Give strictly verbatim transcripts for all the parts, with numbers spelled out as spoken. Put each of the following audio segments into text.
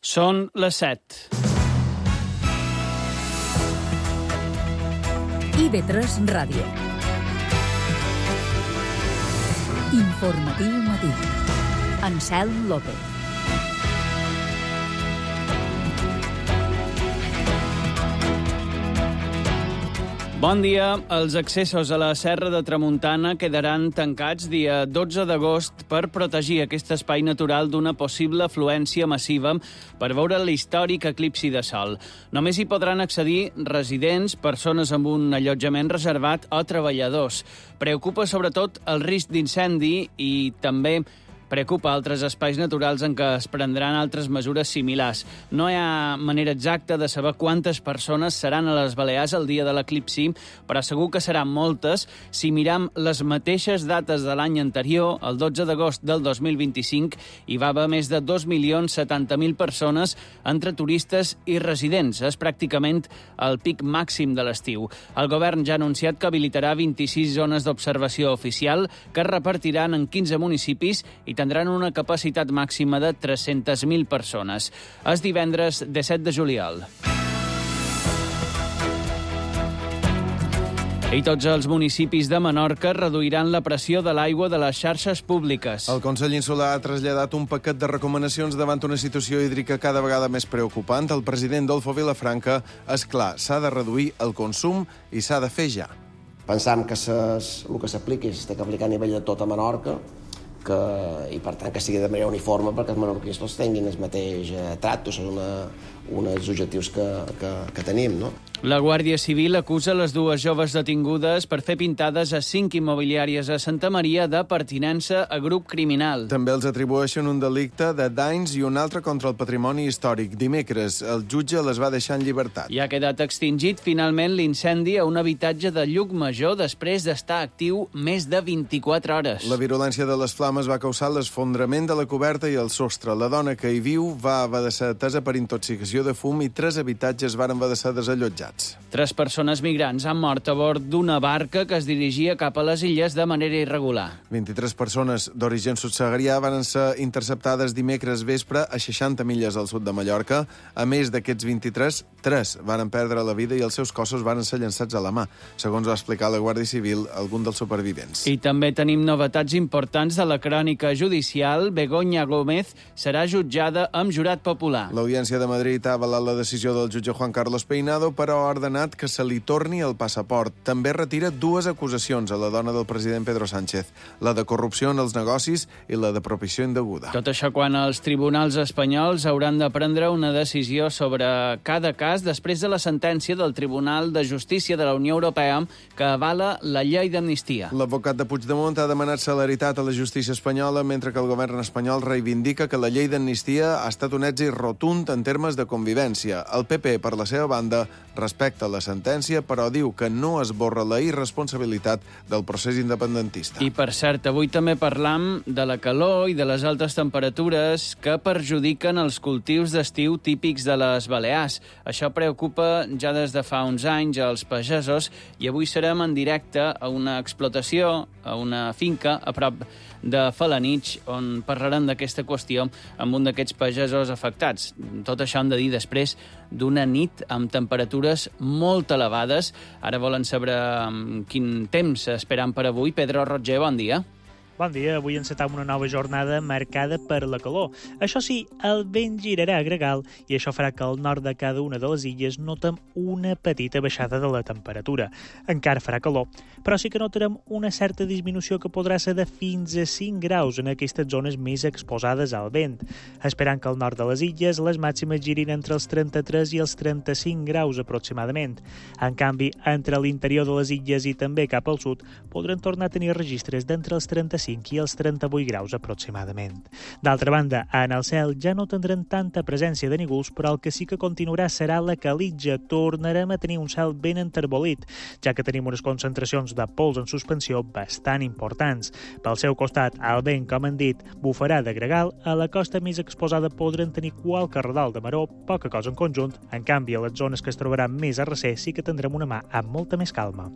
Són les set. I ve tres Ràdio. Informatiu matí. Anselm López. Bon dia. Els accessos a la Serra de Tramuntana quedaran tancats dia dotze d'agost per protegir aquest espai natural d'una possible afluència massiva per veure l'històric eclipsi de sol. Només hi podran accedir residents, persones amb un allotjament reservat o treballadors. Preocupa sobretot el risc d'incendi i també preocupa altres espais naturals en què es prendran altres mesures similars. No hi ha manera exacta de saber quantes persones seran a les Balears el dia de l'eclipsi, però segur que seran moltes si miram les mateixes dates de l'any anterior, el dotze d'agost del dos mil vint-i-cinc, hi va haver més de dos milions setanta mil persones entre turistes i residents. És pràcticament el pic màxim de l'estiu. El govern ja ha anunciat que habilitarà vint-i-sis zones d'observació oficial que es repartiran en quinze municipis i tindran una capacitat màxima de tres-centes mil persones. És divendres disset de juliol. I tots els municipis de Menorca reduiran la pressió de l'aigua de les xarxes públiques. El Consell Insular ha traslladat un paquet de recomanacions davant una situació hídrica cada vegada més preocupant. El president Dolfo Vilafranca és clar, s'ha de reduir el consum i s'ha de fer ja. Pensam que ses, el que s'apliqui s'ha d'aplicar a nivell de tota Menorca, que, i per tant que sigui de manera uniforme perquè els menorquins tots tinguin el mateix eh, tracte, són una, uns objectius que, que, que tenim, no? La Guàrdia Civil acusa les dues joves detingudes per fer pintades a cinc immobiliàries a Santa Maria de pertinença a grup criminal. També els atribueixen un delicte de danys i un altre contra el patrimoni històric. Dimecres, el jutge les va deixar en llibertat. I ha quedat extingit finalment l'incendi a un habitatge de Llucmajor després d'estar actiu més de vint-i-quatre hores. La virulència de les flames va causar l'esfondrament de la coberta i el sostre. La dona que hi viu va haver de ser atesa per intoxicació de fum i tres habitatges van haver de ser desallotjats. Tres persones migrants han mort a bord d'una barca que es dirigia cap a les illes de manera irregular. vint-i-tres persones d'origen subsaharià van ser interceptades dimecres vespre a seixanta milles al sud de Mallorca. A més d'aquests vint-i-tres, tres van perdre la vida i els seus cossos van ser llançats a la mà, segons va explicar la Guàrdia Civil algun dels supervivents. I també tenim novetats importants de la crònica judicial. Begoña Gómez serà jutjada amb jurat popular. L'Audiència de Madrid ha avalat la decisió del jutge Juan Carlos Peinado, però ha ordenat que se li torni el passaport. També retira dues acusacions a la dona del president Pedro Sánchez, la de corrupció en els negocis i la de propició indeguda. Tot això quan els tribunals espanyols hauran de prendre una decisió sobre cada cas després de la sentència del Tribunal de Justícia de la Unió Europea que avala la llei d'amnistia. L'advocat de Puigdemont ha demanat celeritat a la justícia espanyola, mentre que el govern espanyol reivindica que la llei d'amnistia ha estat un èxit rotund en termes de convivència. El P P, per la seva banda, respecta la sentència, però diu que no esborra la irresponsabilitat del procés independentista. I, per cert, avui també parlam de la calor i de les altes temperatures que perjudiquen els cultius d'estiu típics de les Balears. Això preocupa ja des de fa uns anys als pagesos i avui serem en directe a una explotació, a una finca a prop de Felanitx, on parlarem d'aquesta qüestió amb un d'aquests pagesos afectats. Tot això hem de dir després d'una nit amb temperatures molt elevades. Ara volen saber quin temps esperam per avui. Pedro Roger, bon dia. Bon dia, avui encetam una nova jornada marcada per la calor. Això sí, el vent girarà a gregal i això farà que al nord de cada una de les illes notem una petita baixada de la temperatura. Encara farà calor, però sí que notarem una certa disminució que podrà ser de fins a cinc graus en aquestes zones més exposades al vent, esperant que al nord de les illes les màximes girin entre els trenta-tres i els trenta-cinc graus aproximadament. En canvi, entre l'interior de les illes i també cap al sud podran tornar a tenir registres d'entre els trenta-cinc i els trenta-vuit graus aproximadament. D'altra banda, en el cel ja no tindrem tanta presència de nígols, però el que sí que continuarà serà la calitja. Tornarem a tenir un cel ben enterbolit, ja que tenim unes concentracions de pols en suspensió bastant importants. Pel seu costat, el vent, com han dit, bufarà de gregal. A la costa més exposada podran tenir qualque redol de maró, poca cosa en conjunt. En canvi, a les zones que es trobaran més a recer sí que tindrem una mà amb molta més calma.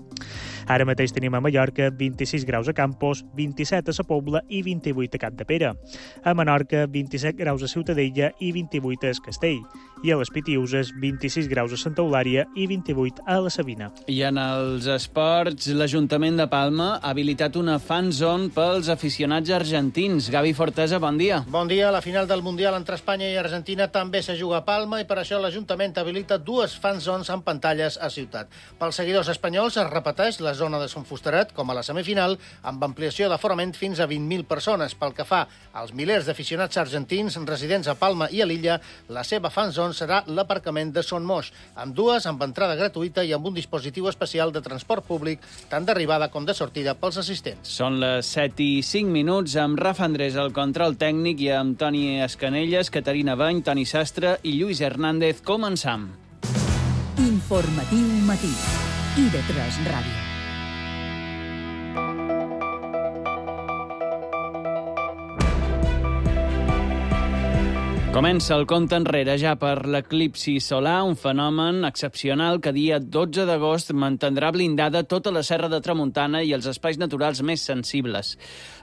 Ara mateix tenim a Mallorca vint-i-sis graus a Campos, vint-i-set vint-i-set a la Pobla i vint-i-vuit a Capdepera. A Menorca, vint-i-set graus a Ciutadella i vint-i-vuit a Es Castell. I a les Pitiuses, vint-i-sis graus a Santa Eulària i vint-i-vuit a la Sabina. I en els esports, l'Ajuntament de Palma ha habilitat una fan zone pels aficionats argentins. Gavi Fortesa, bon dia. Bon dia. La final del Mundial entre Espanya i Argentina també se juga a Palma i per això l'Ajuntament habilita dues fan zones amb pantalles a ciutat. Pels seguidors espanyols es repeteix la zona de Sant Fusteret, com a la semifinal, amb ampliació d'aforament fins a vint mil persones. Pel que fa als milers d'aficionats argentins residents a Palma i a l'illa, la seva fan zone serà l'aparcament de Son Moix, amb dues amb entrada gratuïta i amb un dispositiu especial de transport públic, tant d'arribada com de sortida pels assistents. Són les set i cinc minuts, amb Rafa Andrés al control tècnic i amb Toni Escanelles, Caterina Bany, Toni Sastre i Lluís Hernández. Començam. Informatiu matí. I de tres Ràdio. Comença el compte enrere ja per l'eclipsi solar, un fenomen excepcional que dia dotze d'agost mantindrà blindada tota la Serra de Tramuntana i els espais naturals més sensibles.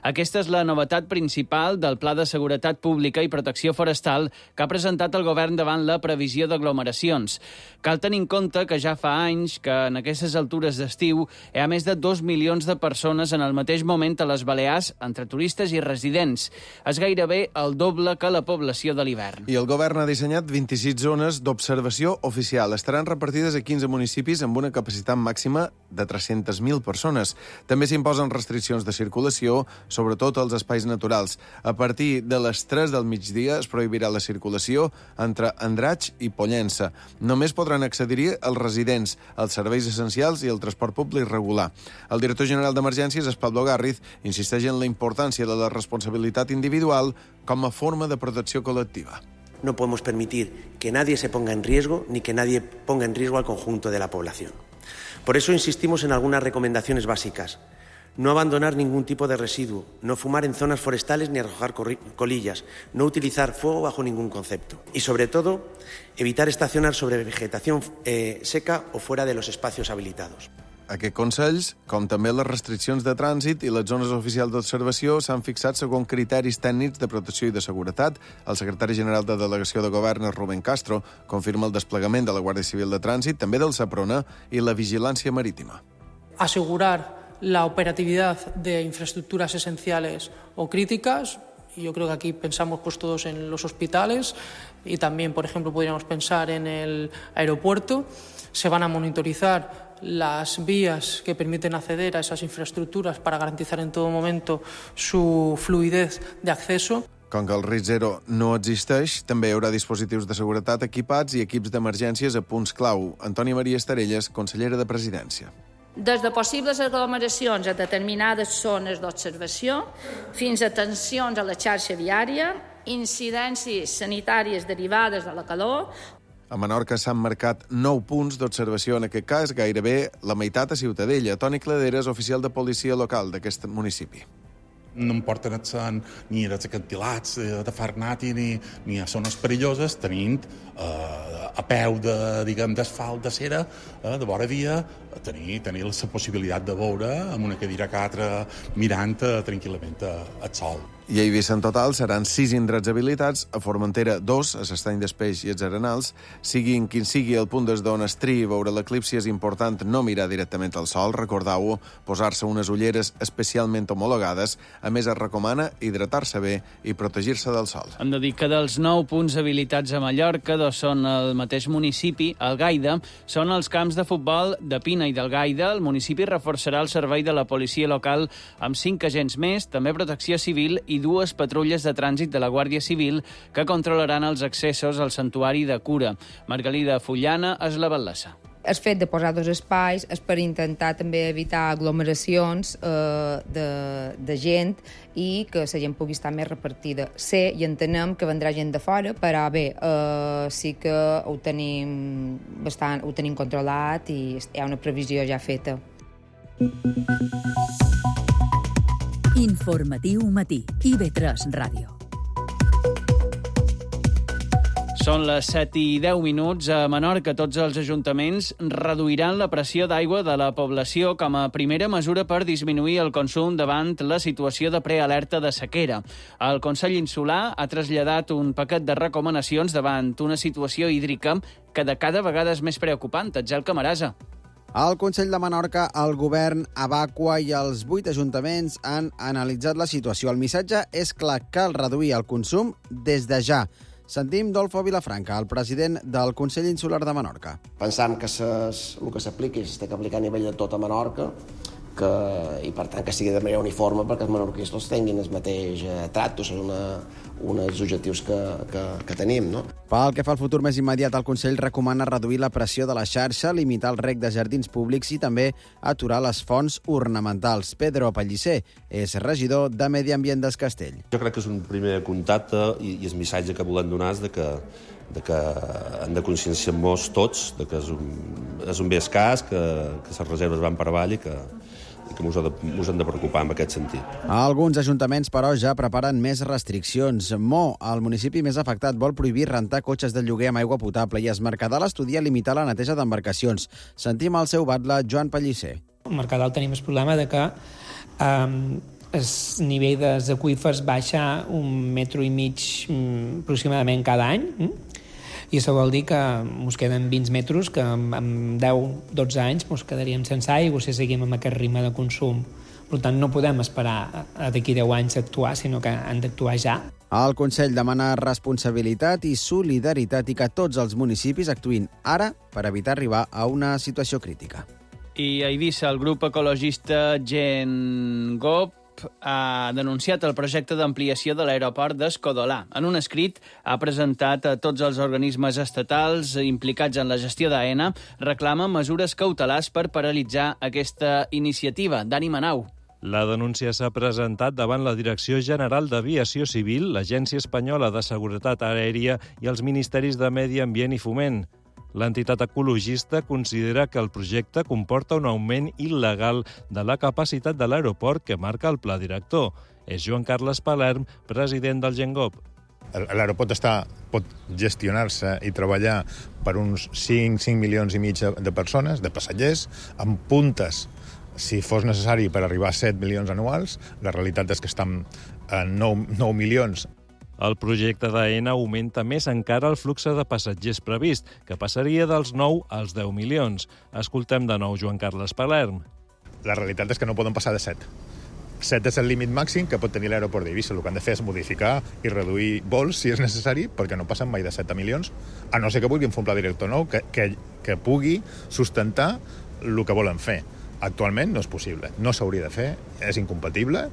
Aquesta és la novetat principal del Pla de Seguretat Pública i Protecció Forestal que ha presentat el govern davant la previsió d'aglomeracions. Cal tenir en compte que ja fa anys que en aquestes altures d'estiu hi ha més de dos milions de persones en el mateix moment a les Balears, entre turistes i residents. És gairebé el doble que la població de l'hivern. I el govern ha dissenyat vint-i-sis zones d'observació oficial. Estaran repartides a quinze municipis amb una capacitat màxima de tres-centes mil persones. També s'imposen restriccions de circulació, sobretot als espais naturals. A partir de les tres del migdia es prohibirà la circulació entre Andratx i Pollença. Només podran accedir-hi els residents, els serveis essencials i el transport públic regular. El director general d'Emergències, Pablo Garriz, insisteix en la importància de la responsabilitat individual com a forma de protecció col·lectiva. No podemos permitir que nadie se ponga en riesgo ni que nadie ponga en riesgo al conjunto de la población. Por eso insistimos en algunas recomendaciones básicas. No abandonar ningún tipo de residuo, no fumar en zonas forestales ni arrojar colillas, no utilizar fuego bajo ningún concepto. Y sobre todo, evitar estacionar sobre vegetación eh, seca o fuera de los espacios habilitados. Aquests consells, com també les restriccions de trànsit i les zones oficials d'observació, s'han fixat segons criteris tècnics de protecció i de seguretat. El secretari general de Delegació de Govern, Rubén Castro, confirma el desplegament de la Guàrdia Civil de Trànsit, també del Seprona i la vigilància marítima. Asegurar la operatividad de infraestructuras esenciales o críticas. Yo creo que aquí pensamos pues todos en los hospitales y también, por ejemplo, podríamos pensar en el aeropuerto. Se van a monitorizar las vías que permiten acceder a esas infraestructuras para garantizar en todo momento su fluidez de acceso. Com que el risc zero no existeix, també hi haurà dispositius de seguretat equipats i equips d'emergències a punts clau. Antònia Maria Estarelles, consellera de Presidència. Des de possibles aglomeracions a determinades zones d'observació fins a tensions a la xarxa viària, incidències sanitàries derivades de la calor. A Menorca s'han marcat nou punts d'observació, en aquest cas gairebé la meitat a Ciutadella. Toni Claderes, oficial de policia local d'aquest municipi. No em porten ni als acantilats de Farnati ni, ni a zones perilloses, tenint eh, a peu de, diguem, d'asfalt de cera, eh, de vora via, tenir, tenir la possibilitat de veure amb una cadira catra mirant eh, tranquil·lament el sol. I a Eivissa en total seran sis indrets habilitats, a Formentera dos, a l'Estany d'Espeix i els Arenals. Siguin quin sigui el punt des d'on es triï veure l'eclipsi, és important no mirar directament al sol, recordeu-ho, posar-se unes ulleres especialment homologades. A més, es recomana hidratar-se bé i protegir-se del sol. Hem de dir que dels nou punts habilitats a Mallorca, dos són al mateix municipi, el Gaida, són els camps de futbol de Pina i del Gaida. El municipi reforçarà el servei de la policia local amb cinc agents més, també protecció civil i dues patrulles de trànsit de la Guàrdia Civil que controlaran els accessos al santuari de Cura. Margalida Fullana és la batllessa. El fet de posar dos espais és per intentar també evitar aglomeracions eh, de, de gent i que la gent pugui estar més repartida. Sé i entenem que vendrà gent de fora, però bé, eh, sí que ho tenim, bastant, ho tenim controlat i hi ha una previsió ja feta. Informatiu matí. I ve tres Ràdio. Són les set i deu minuts. A Menorca, tots els ajuntaments reduiran la pressió d'aigua de la població com a primera mesura per disminuir el consum davant la situació de prealerta de sequera. El Consell Insular ha traslladat un paquet de recomanacions davant una situació hídrica que de cada vegada és més preocupant. Atzel Camarasa. Al Consell de Menorca, el govern, Abaqua i els vuit ajuntaments han analitzat la situació. El missatge és clar: cal reduir el consum des de ja. Sentim Dolfo Vilafranca, el president del Consell Insular de Menorca. Pensam que ses, el que s'apliqui s'ha d'aplicar a nivell de tota Menorca, que, i per tant que sigui de manera uniforme perquè els menorquins tots tinguin el mateix eh, tracte, són una, uns objectius que, que, que tenim. No? Pel que fa al futur més immediat, el Consell recomana reduir la pressió de la xarxa, limitar el reg de jardins públics i també aturar les fonts ornamentals. Pedro Pellicer és regidor de Medi Ambient del Castell. Jo crec que és un primer contacte i, i el missatge que volem donar és de que de que hem de conscienciar-nos tots de que és un, és un bé escàs, que, que les reserves van per avall i que, i que ens hem de preocupar en aquest sentit. Alguns ajuntaments, però, ja preparen més restriccions. Mo, el municipi més afectat, vol prohibir rentar cotxes de lloguer amb aigua potable i es Mercadal estudia limitar la neteja d'embarcacions. Sentim el seu batlle, Joan Pellicer. Al Mercadal tenim el problema de que um, el nivell dels aqüífers baixa un metre i mig um, aproximadament cada any, um? I això vol dir que ens queden vint metres que en deu a dotze anys ens quedaríem sense aigua si seguim amb aquest ritme de consum. Per tant, no podem esperar d'aquí deu anys a actuar, sinó que han d'actuar ja. El Consell demana responsabilitat i solidaritat i que tots els municipis actuïn ara per evitar arribar a una situació crítica. I a Eivissa, el grup ecologista Gengop ha denunciat el projecte d'ampliació de l'aeroport d'Escodolà. En un escrit ha presentat a tots els organismes estatals implicats en la gestió d'Aena, reclama mesures cautelars per paralitzar aquesta iniciativa. Dani Manau. La denúncia s'ha presentat davant la Direcció General d'Aviació Civil, l'Agència Espanyola de Seguretat Aèria i els Ministeris de Medi Ambient i Foment. L'entitat ecologista considera que el projecte comporta un augment il·legal de la capacitat de l'aeroport que marca el pla director. És Joan Carles Palerm, president del Gengop. L'aeroport està, pot gestionar-se i treballar per uns cinc milions i mig de persones, de passatgers, amb puntes, si fos necessari, per arribar a set milions anuals. La realitat és que estan a nou milions. El projecte d'Aena augmenta més encara el flux de passatgers previst, que passaria dels nou als deu milions. Escoltem de nou Joan Carles Palerm. La realitat és que no poden passar de set. set és el límit màxim que pot tenir l'aeroport d'Eivissa. El que han de fer és modificar i reduir vols, si és necessari, perquè no passen mai de set milions, a no ser que vulguin fer un pla director nou que, que, que pugui sustentar el que volen fer. Actualment no és possible. No s'hauria de fer, és incompatible.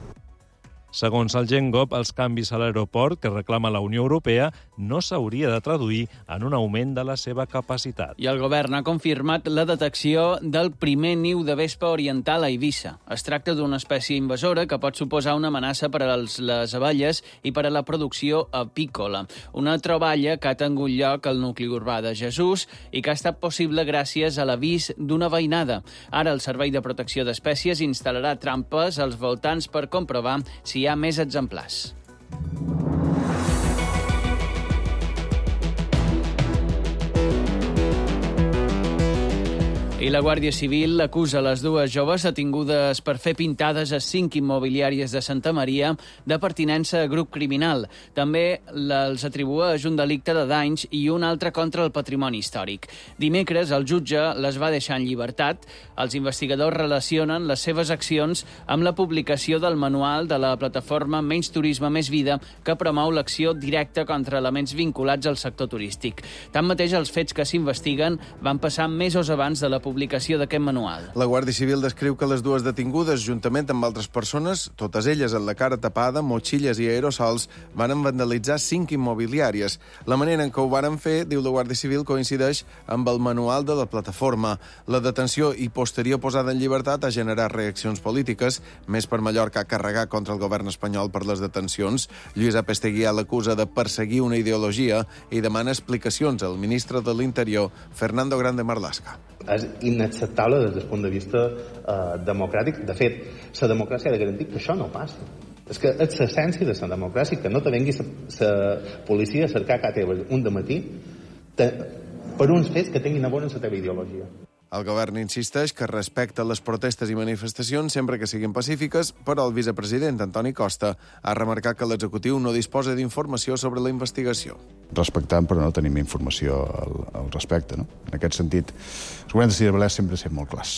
Segons el Gengop, els canvis a l'aeroport que reclama la Unió Europea no s'hauria de traduir en un augment de la seva capacitat. I el govern ha confirmat la detecció del primer niu de vespa oriental a Eivissa. Es tracta d'una espècie invasora que pot suposar una amenaça per a les abelles i per a la producció apícola. Una troballa que ha tingut lloc al nucli urbà de Jesús i que ha estat possible gràcies a l'avís d'una veïnada. Ara el Servei de Protecció d'Espècies instal·larà trampes als voltants per comprovar si hi ha més exemplars. I la Guàrdia Civil acusa les dues joves detingudes per fer pintades a cinc immobiliàries de Santa Maria de pertinença a grup criminal. També els atribueix un delicte de danys i un altre contra el patrimoni històric. Dimecres, el jutge les va deixar en llibertat. Els investigadors relacionen les seves accions amb la publicació del manual de la plataforma Menys Turisme, Més Vida, que promou l'acció directa contra elements vinculats al sector turístic. Tanmateix, els fets que s'investiguen van passar mesos abans de la publicació d'aquest manual. La Guàrdia Civil descriu que les dues detingudes, juntament amb altres persones, totes elles amb la cara tapada, motxilles i aerosols, van vandalitzar cinc immobiliàries. La manera en què ho varen fer, diu la Guàrdia Civil, coincideix amb el manual de la plataforma. La detenció i posterior posada en llibertat ha generat reaccions polítiques, més per Mallorca carregar contra el govern espanyol per les detencions. Lluís Apesteguià l'acusa de perseguir una ideologia i demana explicacions al ministre de l'Interior, Fernando Grande Marlaska. És inacceptable des del punt de vista eh, democràtic. De fet, la democràcia ha de garantir que això no passi. És que és l'essència de la democràcia, que no te vengui la policia a cercar cada teva un dematí per uns fets que tinguin a veure amb la teva ideologia. El govern insisteix que respecta les protestes i manifestacions sempre que siguin pacífiques, però el vicepresident Antoni Costa ha remarcat que l'executiu no disposa d'informació sobre la investigació. Respectant, però no tenim informació al, al respecte. No? En aquest sentit, el govern de les Illes Balears sempre ha set molt clars.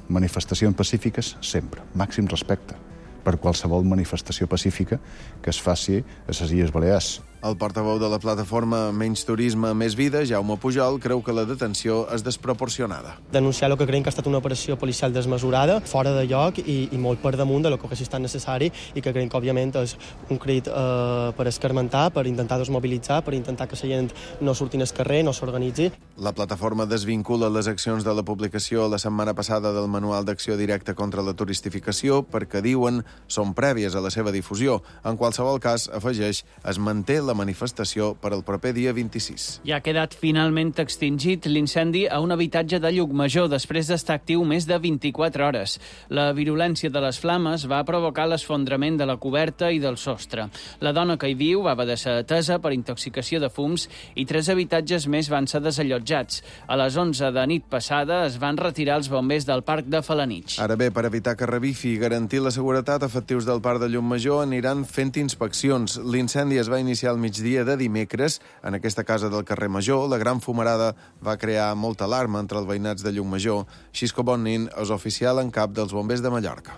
Manifestacions pacífiques, sempre. Màxim respecte per qualsevol manifestació pacífica que es faci a les Illes Balears. El portaveu de la plataforma Menys Turisme, Més Vida, Jaume Pujol, creu que la detenció és desproporcionada. Denunciar el que creiem que ha estat una operació policial desmesurada, fora de lloc i, i molt per damunt de lo que hagués estat necessari i que creiem que, òbviament, és un crit eh, per escarmentar, per intentar desmobilitzar, per intentar que la gent no surti al carrer, no s'organitzi. La plataforma desvincula les accions de la publicació la setmana passada del Manual d'Acció Directa contra la Turistificació perquè, diuen, són prèvies a la seva difusió. En qualsevol cas, afegeix, es manté la manifestació per al proper dia vint-i-sis. Ja ha quedat finalment extingit l'incendi a un habitatge de Llucmajor després d'estar actiu més de vint-i-quatre hores. La virulència de les flames va provocar l'esfondrament de la coberta i del sostre. La dona que hi viu va haver de ser atesa per intoxicació de fums i tres habitatges més van ser desallotjats. A les onze de nit passada es van retirar els bombers del parc de Felanitx. Ara bé, per evitar que revifi i garantir la seguretat, efectius del parc de Llucmajor aniran fent inspeccions. L'incendi es va iniciar al migdia de dimecres en aquesta casa del carrer Major. La gran fumarada va crear molta alarma entre els veïnats de Llucmajor. Xisco Bonnin és oficial en cap dels bombers de Mallorca.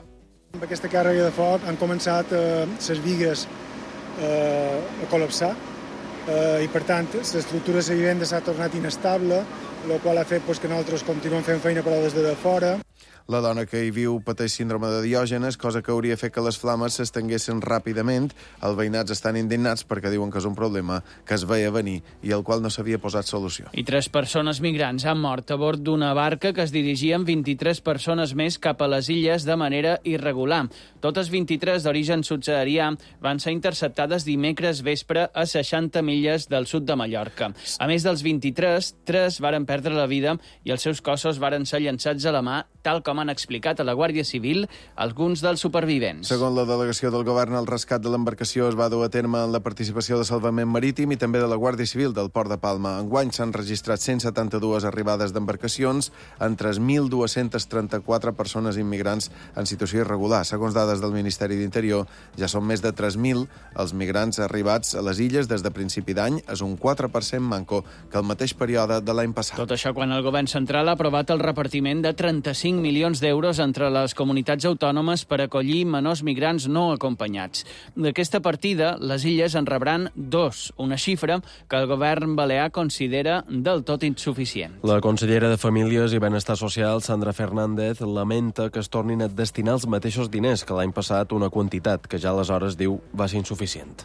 Amb aquesta càrrega de foc han començat eh, les vigues eh, a col·lapsar eh, i, per tant, l'estructura de la vivenda s'ha tornat inestable, el qual ha fet pues, que nosaltres continuem fent feina però des de fora. La dona que hi viu pateix síndrome de Diògenes, cosa que hauria fet que les flames s'estenguessin ràpidament. Els veïnats estan indignats perquè diuen que és un problema que es veia venir i al qual no s'havia posat solució. I tres persones migrants han mort a bord d'una barca que es dirigia amb vint-i-tres persones més cap a les illes de manera irregular. Totes vint-i-tres d'origen subsaharià van ser interceptades dimecres vespre a seixanta milles del sud de Mallorca. A més dels vint-i-tres, tres varen perdre la vida i els seus cossos varen ser llançats a la mà, tal com han explicat a la Guàrdia Civil alguns dels supervivents. Segons la delegació del govern, el rescat de l'embarcació es va dur a terme en la participació de Salvament Marítim i també de la Guàrdia Civil del Port de Palma. Enguany s'han registrat cent setanta-dues arribades d'embarcacions en tres mil dos-cents trenta-quatre persones immigrants en situació irregular. Segons dades del Ministeri d'Interior, ja són més de tres mil els migrants arribats a les illes des de principi d'any. És un quatre per cent manco que el mateix període de l'any passat. Tot això quan el govern central ha aprovat el repartiment de trenta-cinc milions d'euros entre les comunitats autònomes per acollir menors migrants no acompanyats. D'aquesta partida, les illes en rebran dos, una xifra que el govern balear considera del tot insuficient. La consellera de Famílies i Benestar Social, Sandra Fernández, lamenta que es tornin a destinar els mateixos diners que l'any passat, una quantitat que ja aleshores diu va ser insuficient.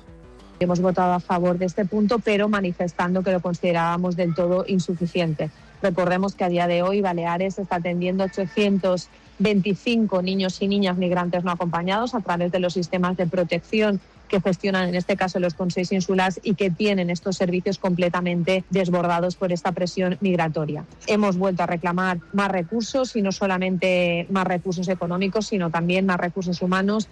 Hemos votado a favor de este punto, pero manifestando que lo considerábamos del todo insuficiente. Recordemos que a día de hoy Baleares está atendiendo ochocientos veinticinco niños y niñas migrantes no acompañados a través de los sistemas de protección que gestionan en este caso los consells insulars y que tienen estos servicios completamente desbordados por esta presión migratoria. Hemos vuelto a reclamar más recursos y no solamente más recursos económicos, sino también más recursos humanos.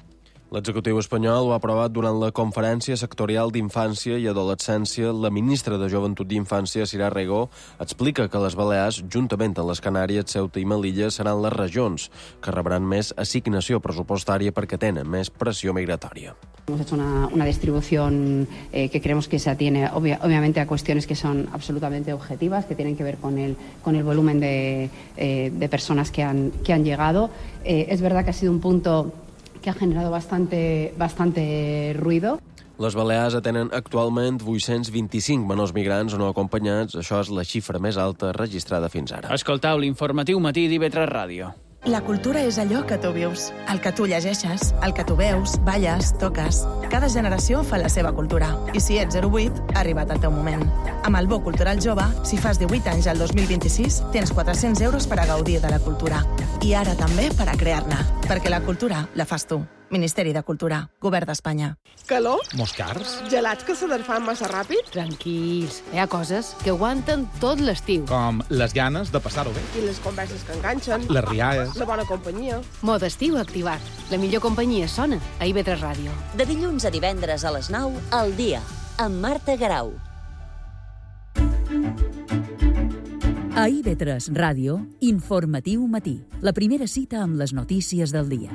L'executiu espanyol ho ha aprovat durant la Conferència Sectorial d'Infància i Adolescència. La ministra de Joventut i Infància, Sirà Regó, explica que les Balears, juntament amb les Canàries, Ceuta i Melilla, seran les regions que rebran més assignació pressupostària perquè tenen més pressió migratòria. Hemos hecho una, una distribución eh, que creemos que se atiene obvia, obviamente a cuestiones que son absolutamente objetivas, que tienen que ver con el, con el volumen de, eh, de personas que han, que han llegado. Eh, es verdad que ha sido un punto que ha generado bastante, bastante ruido. Les Balears atenen actualment vuit-cents vint-i-cinc menors migrants no acompanyats. Això és la xifra més alta registrada fins ara. Escoltau l'informatiu matí d'I V tres Ràdio. La cultura és allò que tu vius, el que tu llegeixes, el que tu veus, balles, toques. Cada generació fa la seva cultura. I si ets zero vuit, ha arribat el teu moment. Amb el Bo Cultural Jove, si fas divuit anys al dos mil vint-i-sis, tens quatre-cents euros per a gaudir de la cultura. I ara també per a crear-ne, perquè la cultura la fas tu. Ministeri de Cultura, Govern d'Espanya. Calor? Molts cars? Gelats que se desfan massa ràpid? Tranquils, hi ha coses que aguanten tot l'estiu. Com les ganes de passar-ho bé. I les converses que enganxen. Les rialles. La bona companyia. Mode estiu activat. La millor companyia sona a I V tres Ràdio. De dilluns a divendres a les nou, al dia, amb Marta Garau. A I V tres Ràdio, Informatiu Matí. La primera cita amb les notícies del dia.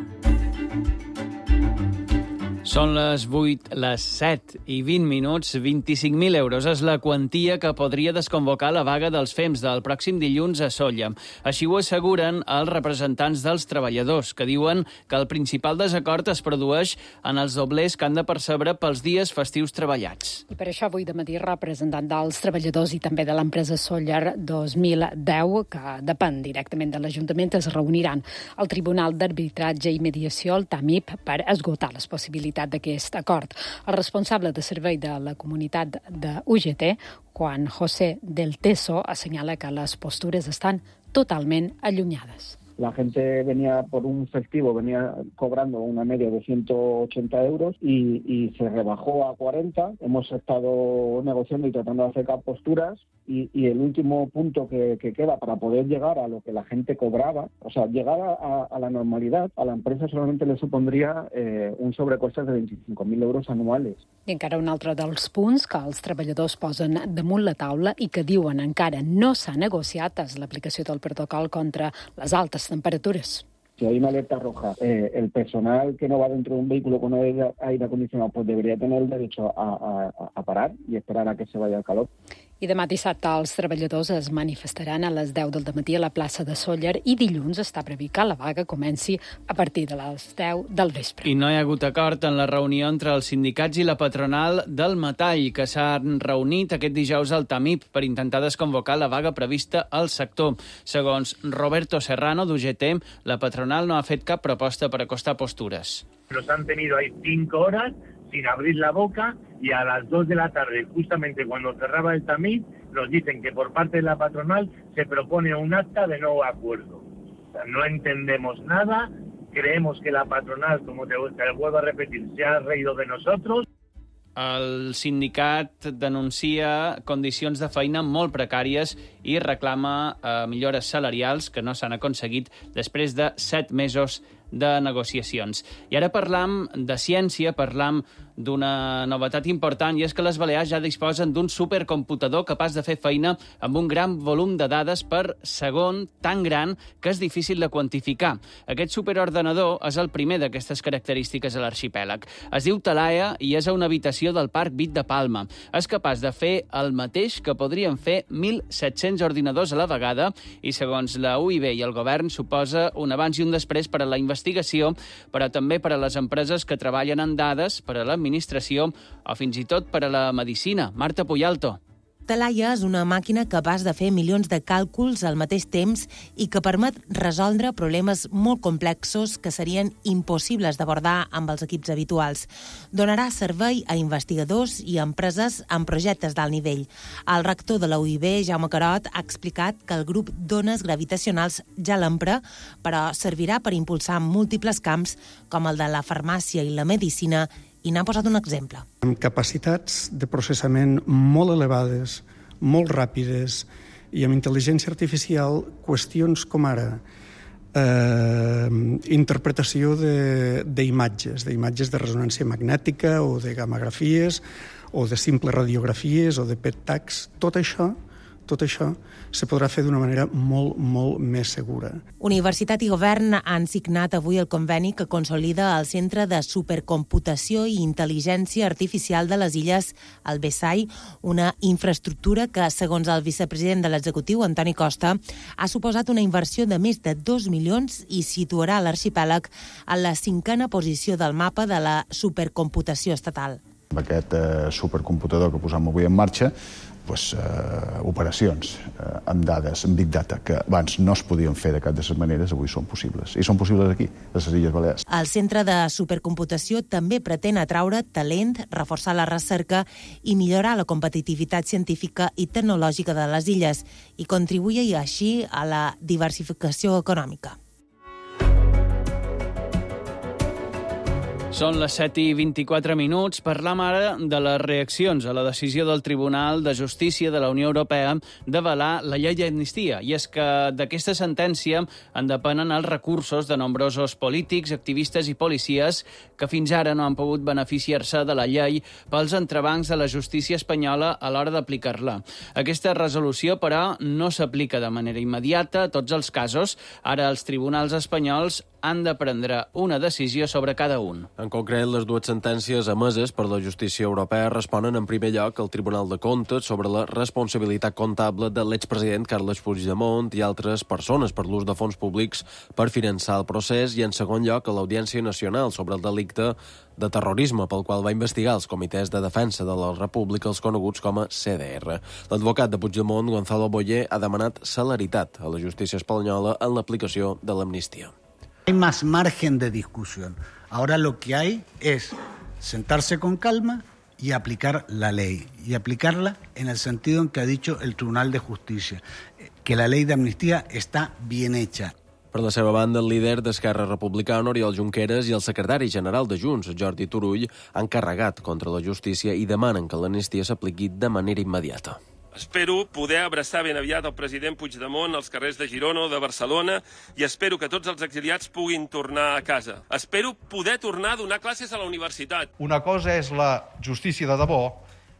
Són les vuit, les set i vint minuts, vint-i-cinc mil euros és la quantia que podria desconvocar la vaga dels F E M S del pròxim dilluns a Sóller. Així ho asseguren els representants dels treballadors, que diuen que el principal desacord es produeix en els doblers que han de percebre pels dies festius treballats. I per això avui de matí representant dels treballadors i també de l'empresa Sóller dos mil deu, que depèn directament de l'Ajuntament, es reuniran al Tribunal d'Arbitratge i Mediació, el TAMIP, per esgotar les possibilitats d'aquest acord. El responsable de servei de la comunitat de U G T, Juan José del Teso, assenyala que les postures estan totalment allunyades. La gente venía por un festivo, venía cobrando una media de ciento ochenta euros y, y se rebajó a cuarenta. Hemos estado negociando y tratando de acercar posturas y, y el último punto que, que queda para poder llegar a lo que la gente cobraba, o sea, llegar a, a la normalidad, a la empresa solamente le supondría eh, un sobrecoste de veinticinco mil euros anuales. I encara un altre dels punts que els treballadors posen damunt la taula i que diuen encara no s'ha negociat és l'aplicació del protocol contra les altes temperaturas. Si hay una alerta roja, eh, el personal que no va dentro de un vehículo con aire, aire acondicionado pues debería tener el derecho a, a, a parar y esperar a que se vaya el calor. I demà dissabte els treballadors es manifestaran a les deu del dematí a la plaça de Sóller i dilluns està previst que la vaga comenci a partir de les deu del vespre. I no hi ha hagut acord en la reunió entre els sindicats i la patronal del metall, que s'han reunit aquest dijous al TAMIP per intentar desconvocar la vaga prevista al sector. Segons Roberto Serrano, d'U G T, la patronal no ha fet cap proposta per acostar postures. Nos han tenido ahí cinco horas sin abrir la boca y a las dos de la tarde, justamente cuando cerraba el TAMIP, nos dicen que por parte de la patronal se propone un acta de no acuerdo. O sea, no entendemos nada, creemos que la patronal, como te, te vuelvo a repetir, se ha reído de nosotros. El sindicat denuncia condicions de feina molt precàries i reclama eh, millores salarials que no s'han aconseguit després de set mesos de negociacions. I ara parlam de ciència, parlam d'una novetat important, i és que les Balears ja disposen d'un supercomputador capaç de fer feina amb un gran volum de dades per segon tan gran que és difícil de quantificar. Aquest superordenador és el primer d'aquestes característiques a l'arxipèlag. Es diu Talaia i és a una habitació del Parc Vic de Palma. És capaç de fer el mateix que podrien fer mil set-cents ordinadors a la vegada i, segons la U I B i el govern, suposa un abans i un després per a la investigació, però també per a les empreses que treballen en dades, per a l'administració o fins i tot per a la medicina. Marta Puyalto. Talaia és una màquina capaç de fer milions de càlculs al mateix temps i que permet resoldre problemes molt complexos que serien impossibles d'abordar amb els equips habituals. Donarà servei a investigadors i a empreses amb projectes d'alt nivell. El rector de la U I B, Jaume Carot, ha explicat que el grup d'ones gravitacionals ja l'empra, però servirà per impulsar múltiples camps com el de la farmàcia i la medicina, i n'ha posat un exemple. Amb capacitats de processament molt elevades, molt ràpides, i amb intel·ligència artificial, qüestions com ara eh, interpretació d'imatges, d'imatges de resonància magnètica o de gamografies o de simples radiografies o de P E T tags, tot això tot això se podrà fer d'una manera molt, molt més segura. Universitat i Govern han signat avui el conveni que consolida el Centre de Supercomputació i Intel·ligència Artificial de les Illes, el B E S A I, una infraestructura que, segons el vicepresident de l'executiu, Antoni Costa, ha suposat una inversió de més de dos milions i situarà l'arxipèlag en la cinquena posició del mapa de la supercomputació estatal. Amb aquest eh, supercomputador que posam avui en marxa, pues, eh, operacions eh, amb dades, amb Big Data, que abans no es podien fer de cap de les maneres, avui són possibles. I són possibles aquí, a les Illes Balears. El Centre de Supercomputació també pretén atraure talent, reforçar la recerca i millorar la competitivitat científica i tecnològica de les illes i contribuir així a la diversificació econòmica. Són les set i vint-i-quatre minuts. Parlam ara de les reaccions a la decisió del Tribunal de Justícia de la Unió Europea d'avalar la llei d'amnistia. I és que d'aquesta sentència en depenen els recursos de nombrosos polítics, activistes i policies que fins ara no han pogut beneficiar-se de la llei pels entrebancs de la justícia espanyola a l'hora d'aplicar-la. Aquesta resolució, però, no s'aplica de manera immediata a tots els casos. Ara els tribunals espanyols han de prendre una decisió sobre cada un. En concret, les dues sentències emeses per la justícia europea responen en primer lloc al Tribunal de Comptes sobre la responsabilitat comptable de l'expresident Carles Puigdemont i altres persones per l'ús de fons públics per finançar el procés, i en segon lloc a l'Audiència Nacional sobre el delicte de terrorisme pel qual va investigar els comitès de defensa de la República, els coneguts com a C D R. L'advocat de Puigdemont, Gonzalo Boyer, ha demanat celeritat a la justícia espanyola en l'aplicació de l'amnistia. Hay más margen de discusión. Ahora lo que hay es sentarse con calma y aplicar la ley. Y aplicarla en el sentido en que ha dicho el Tribunal de Justicia, que la ley de amnistía está bien hecha. Per la seva banda, el líder d'Esquerra Republicana, Oriol Junqueras, i el secretari general de Junts, Jordi Turull, han carregat contra la justícia i demanen que l'amnistia s'apliqui de manera immediata. Espero poder abraçar ben aviat el president Puigdemont als carrers de Girona o de Barcelona i espero que tots els exiliats puguin tornar a casa. Espero poder tornar a donar classes a la universitat. Una cosa és la justícia de debò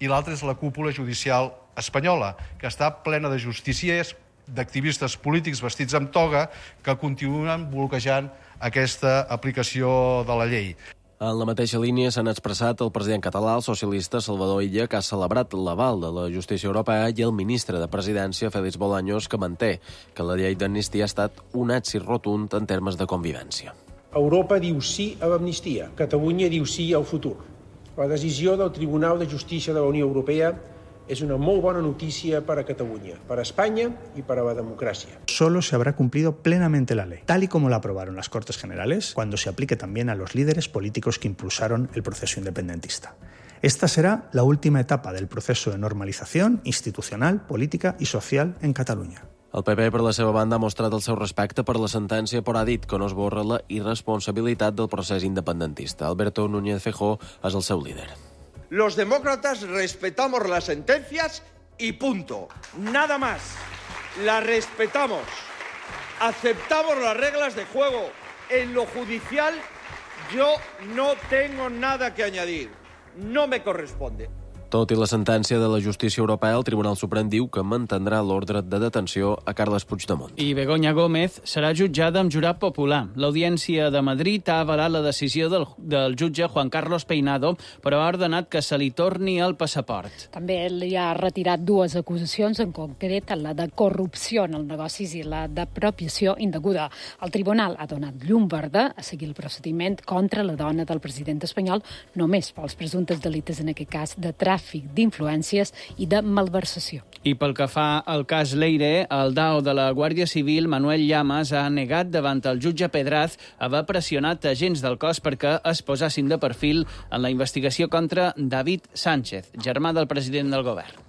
i l'altra és la cúpula judicial espanyola, que està plena de justiciers, d'activistes polítics vestits amb toga que continuen bloquejant aquesta aplicació de la llei. En la mateixa línia s'han expressat el president català, el socialista Salvador Illa, que ha celebrat l'aval de la justícia europea, i el ministre de Presidència, Félix Bolaños, que manté que la llei d'amnistia ha estat un èxit rotund en termes de convivència. Europa diu sí a l'amnistia, Catalunya diu sí al futur. La decisió del Tribunal de Justícia de la Unió Europea es una muy buena noticia para Cataluña, para España y para la democracia. Solo se habrá cumplido plenamente la ley, tal y como la aprobaron las Cortes Generales, cuando se aplique también a los líderes políticos que impulsaron el proceso independentista. Esta será la última etapa del proceso de normalización institucional, política y social en Catalunya. El P P, per la seva banda, ha mostrat el seu respecte per la sentència, però ha dit que no esborra la irresponsabilitat del procés independentista. Alberto Núñez Feijóo és el seu líder. Los demócratas respetamos las sentencias y punto. Nada más. Las respetamos. Aceptamos las reglas de juego. En lo judicial yo no tengo nada que añadir. No me corresponde. Tot i la sentència de la justícia europea, el Tribunal Suprem diu que mantindrà l'ordre de detenció a Carles Puigdemont. I Begoña Gómez serà jutjada amb jurat popular. L'Audiència de Madrid ha avalat la decisió del, del jutge Juan Carlos Peinado, però ha ordenat que se li torni el passaport. També li ha retirat dues acusacions, en concret la de corrupció en els negocis i la d'apropiació indeguda. El tribunal ha donat llum verda a seguir el procediment contra la dona del president espanyol, només pels presumptes delictes, en aquest cas, de tràfic d'influències i de malversació. I pel que fa al cas Leire, el D A O de la Guàrdia Civil, Manuel Llamas, ha negat davant el jutge Pedraz haver pressionat agents del cos perquè es posassin de perfil en la investigació contra David Sánchez, germà del president del govern.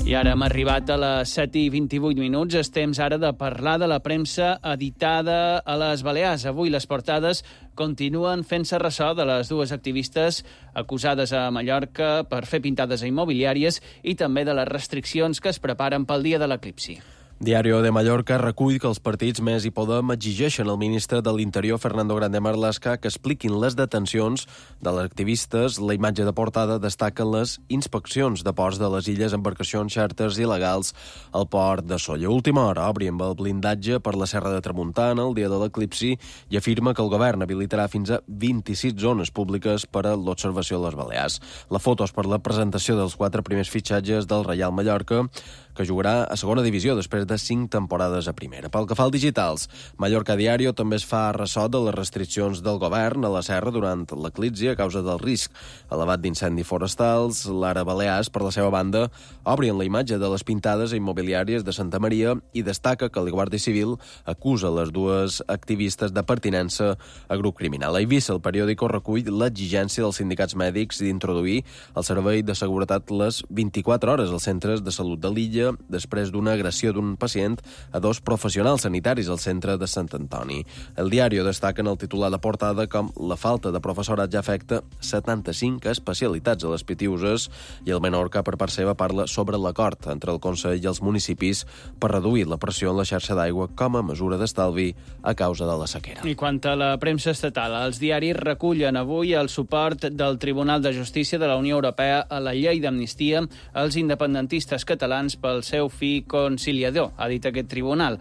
I ara hem arribat a les set i vint-i-vuit minuts. És temps ara de parlar de la premsa editada a les Balears. Avui les portades continuen fent-se ressò de les dues activistes acusades a Mallorca per fer pintades a immobiliàries i també de les restriccions que es preparen pel dia de l'eclipsi. Diario de Mallorca recull que els partits Més i Podem exigeixen al ministre de l'Interior, Fernando Grande Marlaska, que expliquin les detencions de les activistes. La imatge de portada destaca les inspeccions de ports de les illes, embarcacions xàrters il·legals al port de Sóller. Última hora obri amb el blindatge per la Serra de Tramuntana el dia de l'eclipsi i afirma que el govern habilitarà fins a vint-i-sis zones públiques per a l'observació de les Balears. La foto és per la presentació dels quatre primers fitxatges del Reial Mallorca, que jugarà a segona divisió després de cinc temporades a primera. Pel que fa al digitals, Mallorca Diario també es fa ressò de les restriccions del govern a la serra durant l'eclipsi a causa del risc elevat d'incendis forestals. L'Ara Balears, per la seva banda, obri en la imatge de les pintades immobiliàries de Santa Maria i destaca que la Guàrdia Civil acusa les dues activistes de pertinença a grup criminal. A Eivissa, el periòdico recull l'exigència dels sindicats mèdics d'introduir el servei de seguretat les vint-i-quatre hores als centres de salut de l'illa després d'una agressió d'un un pacient a dos professionals sanitaris al centre de Sant Antoni. El diari destaca en el titular de portada com la falta de professorat ja afecta setanta-cinc especialitats a les Pitiuses i el Menorca, per part seva, parla sobre l'acord entre el Consell i els municipis per reduir la pressió en la xarxa d'aigua com a mesura d'estalvi a causa de la sequera. I quant a la premsa estatal, els diaris recullen avui el suport del Tribunal de Justícia de la Unió Europea a la llei d'amnistia als independentistes catalans pel seu fi conciliador, ha dit aquest tribunal.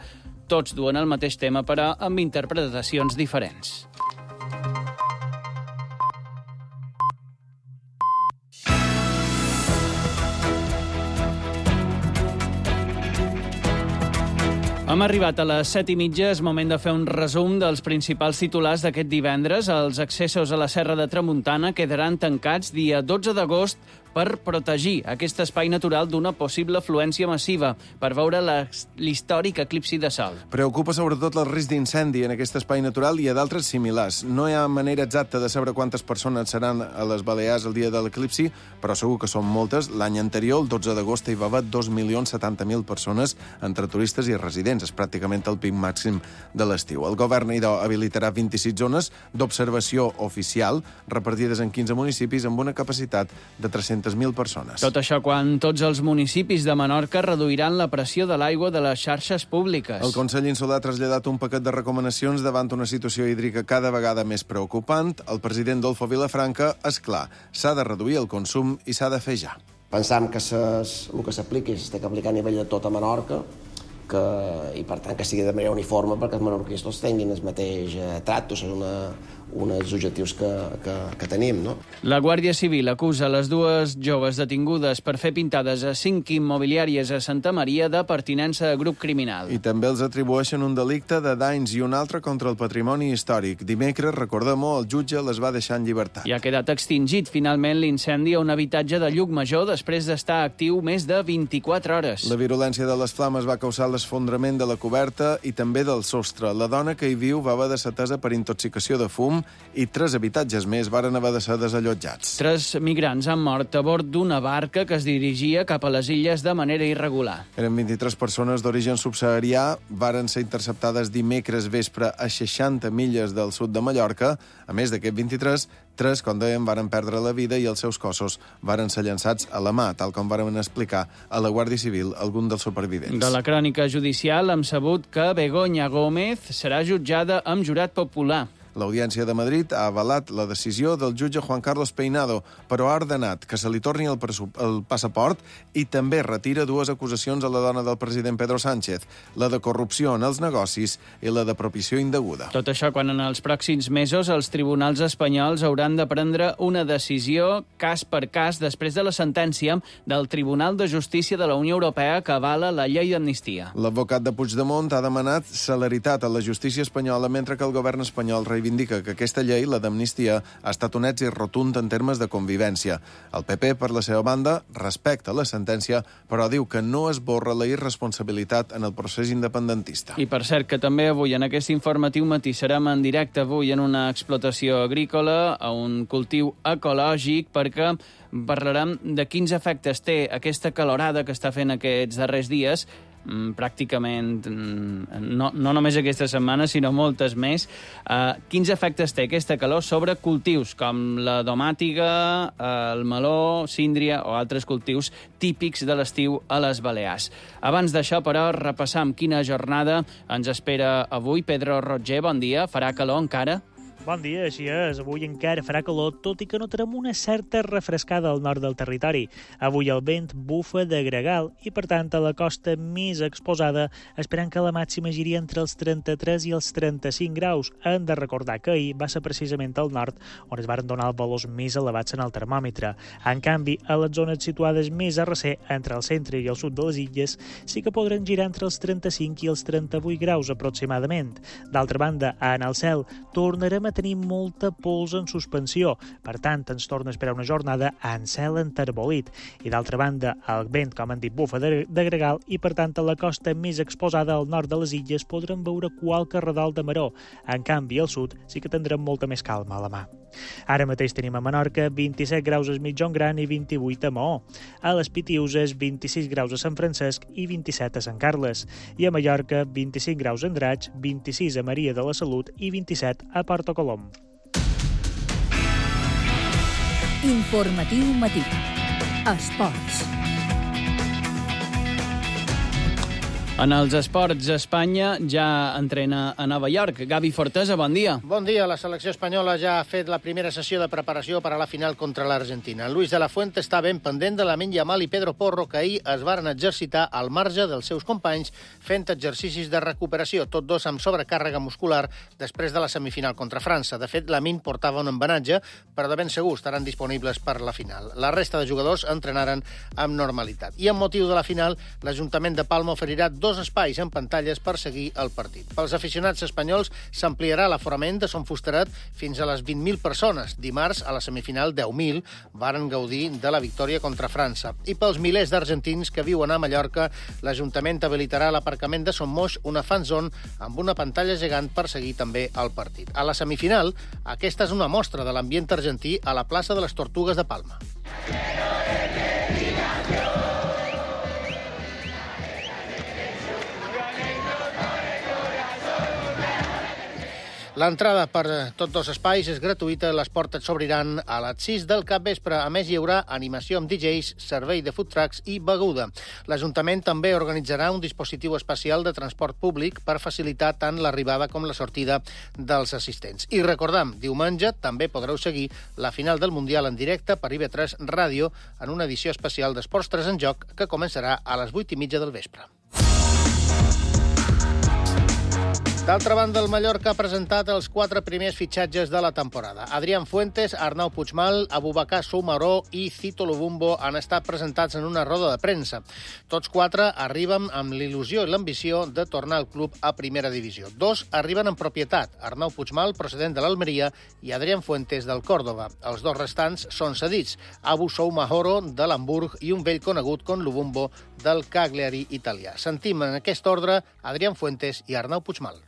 Tots duen el mateix tema, però amb interpretacions diferents. Hem arribat a les set i mitja, és moment de fer un resum dels principals titulars d'aquest divendres. Els accessos a la Serra de Tramuntana quedaran tancats dia dotze d'agost per protegir aquest espai natural d'una possible afluència massiva, per veure l'històric eclipsi de sol. Preocupa sobretot el risc d'incendi en aquest espai natural i a d'altres similars. No hi ha manera exacta de saber quantes persones seran a les Balears el dia de l'eclipsi, però segur que són moltes. L'any anterior, el dotze d'agost, hi va haver dos milions setanta mil persones entre turistes i residents. És pràcticament el pic màxim de l'estiu. El govern, idò, habilitarà vint-i-sis zones d'observació oficial repartides en quinze municipis amb una capacitat de tres-centes mil persones. Tot això quan tots els municipis de Menorca reduiran la pressió de l'aigua de les xarxes públiques. El Consell Insular ha traslladat un paquet de recomanacions davant una situació hídrica cada vegada més preocupant. El president Dolfo Vilafranca, és clar, s'ha de reduir el consum i s'ha de fer ja. Pensam que ses, el que s'apliqui s'ha d'aplicar a nivell de tota Menorca, que, i per tant que sigui de manera uniforme perquè els menorquins tots tinguin el mateix eh, tracte, és una, un dels objectius que, que, que tenim. No? La Guàrdia Civil acusa les dues joves detingudes per fer pintades a cinc immobiliàries a Santa Maria de pertinença a grup criminal. I també els atribueixen un delicte de danys i un altre contra el patrimoni històric. Dimecres, recordem-ho, el jutge les va deixar en llibertat. I ha quedat extingit finalment l'incendi a un habitatge de Llucmajor després d'estar actiu més de vint-i-quatre hores. La virulència de les flames va causar l'esfondrament de la coberta i també del sostre. La dona que hi viu va haver de ser atesa per intoxicació de fum i tres habitatges més varen haver de ser desallotjats. Tres migrants han mort a bord d'una barca que es dirigia cap a les illes de manera irregular. Eren vint-i-tres persones d'origen subsaharià, varen ser interceptades dimecres vespre a seixanta milles del sud de Mallorca. A més d'aquest vint-i-tres, tres, com dèiem, varen perdre la vida i els seus cossos varen ser llançats a la mà, tal com varen explicar a la Guàrdia Civil algun dels supervivents. De la crònica judicial hem sabut que Begoña Gómez serà jutjada amb jurat popular. L'Audiència de Madrid ha avalat la decisió del jutge Juan Carlos Peinado, però ha ordenat que se li torni el, el passaport i també retira dues acusacions a la dona del president Pedro Sánchez, la de corrupció en els negocis i la de propició indeguda. Tot això quan en els pròxims mesos els tribunals espanyols hauran de prendre una decisió cas per cas després de la sentència del Tribunal de Justícia de la Unió Europea que avala la llei d'amnistia. L'advocat de Puigdemont ha demanat celeritat a la justícia espanyola mentre que el govern espanyol reivindica indica que aquesta llei, la d'amnistia, ha estat un èxit rotund en termes de convivència. El P P, per la seva banda, respecta la sentència, però diu que no esborra la irresponsabilitat en el procés independentista. I per cert que també avui en aquest informatiu matí serem en directe avui en una explotació agrícola, a un cultiu ecològic, perquè parlarem de quins efectes té aquesta calorada que està fent aquests darrers dies, pràcticament no, no només aquesta setmana, sinó moltes més. Uh, quins efectes té aquesta calor sobre cultius com la domàtiga, el meló, síndria o altres cultius típics de l'estiu a les Balears. Abans d'això, però, repassam quina jornada ens espera avui. Pedro Roger, bon dia. Farà calor encara? Bon dia, així és. Avui encara farà calor, tot i que notarem una certa refrescada al nord del territori. Avui el vent bufa de gregal i, per tant, a la costa més exposada, esperant que la màxima giri entre els trenta-tres i els trenta-cinc graus. Hem de recordar que ahir va ser precisament al nord on es van donar els valors més elevats en el termòmetre. En canvi, a les zones situades més a recer, entre el centre i el sud de les illes, sí que podran girar entre els trenta-cinc i els trenta-vuit graus aproximadament. D'altra banda, en el cel tornarem a a tenir molta pols en suspensió. Per tant, ens torna a esperar una jornada en cel enterbolit. I d'altra banda, el vent, com han dit, bufa de, de gregal i, per tant, a la costa més exposada al nord de les illes podrem veure qualque redol de maró. En canvi, al sud sí que tindrem molta més calma a la mà. Ara mateix tenim a Menorca vint-i-set graus a Mitjan Gran i vint-i-vuit a Maó. A les Pitiuses, vint-i-sis graus a Sant Francesc i vint-i-set a Sant Carles. I a Mallorca, vint-i-cinc graus a Andratx, vint-i-sis a Maria de la Salut i vint-i-set a Porto Colom. Informatiu matí. Esports. En els esports, Espanya ja entrena a Nova York. Gavi Fortesa, bon dia. Bon dia. La selecció espanyola ja ha fet la primera sessió de preparació per a la final contra l'Argentina. Luis de la Fuente està ben pendent de Lamine Yamal i Pedro Porro, que ahir es varen exercitar al marge dels seus companys fent exercicis de recuperació, tots dos amb sobrecàrrega muscular després de la semifinal contra França. De fet, Lamine portava un embenatge, però de ben segur estaran disponibles per la final. La resta de jugadors entrenaren amb normalitat. I amb motiu de la final, l'Ajuntament de Palma oferirà dos espais en pantalles per seguir el partit. Pels aficionats espanyols s'ampliarà l'aforament de Son Fusteret fins a les vint mil persones. Dimarts, a la semifinal, deu mil varen gaudir de la victòria contra França. I pels milers d'argentins que viuen a Mallorca, l'Ajuntament habilitarà l'aparcament de Son Moix, una fan zone amb una pantalla gegant per seguir també el partit. A la semifinal, aquesta és una mostra de l'ambient argentí a la plaça de les Tortugues de Palma. L'entrada per tots dos espais és gratuïta, les portes s'obriran a les sis del capvespre. A més, hi haurà animació amb D Js, servei de food trucks i beguda. L'Ajuntament també organitzarà un dispositiu especial de transport públic per facilitar tant l'arribada com la sortida dels assistents. I recordam, diumenge també podreu seguir la final del Mundial en directe per I V tres Ràdio en una edició especial d'Esports tres en Joc que començarà a les vuit i mitja del vespre. D'altra banda, el Mallorca ha presentat els quatre primers fitxatges de la temporada. Adrián Fuentes, Arnau Puigmal, Abubakar Soumaró i Cito Lubumbo han estat presentats en una roda de premsa. Tots quatre arriben amb l'il·lusió i l'ambició de tornar al club a primera divisió. Dos arriben en propietat, Arnau Puigmal, procedent de l'Almeria, i Adrián Fuentes, del Córdoba. Els dos restants són cedits, Abu Soumahoro, de l'Hamburg, i un vell conegut com Lubumbo, del Cagliari italià. Sentim en aquest ordre Adrián Fuentes i Arnau Puigmal.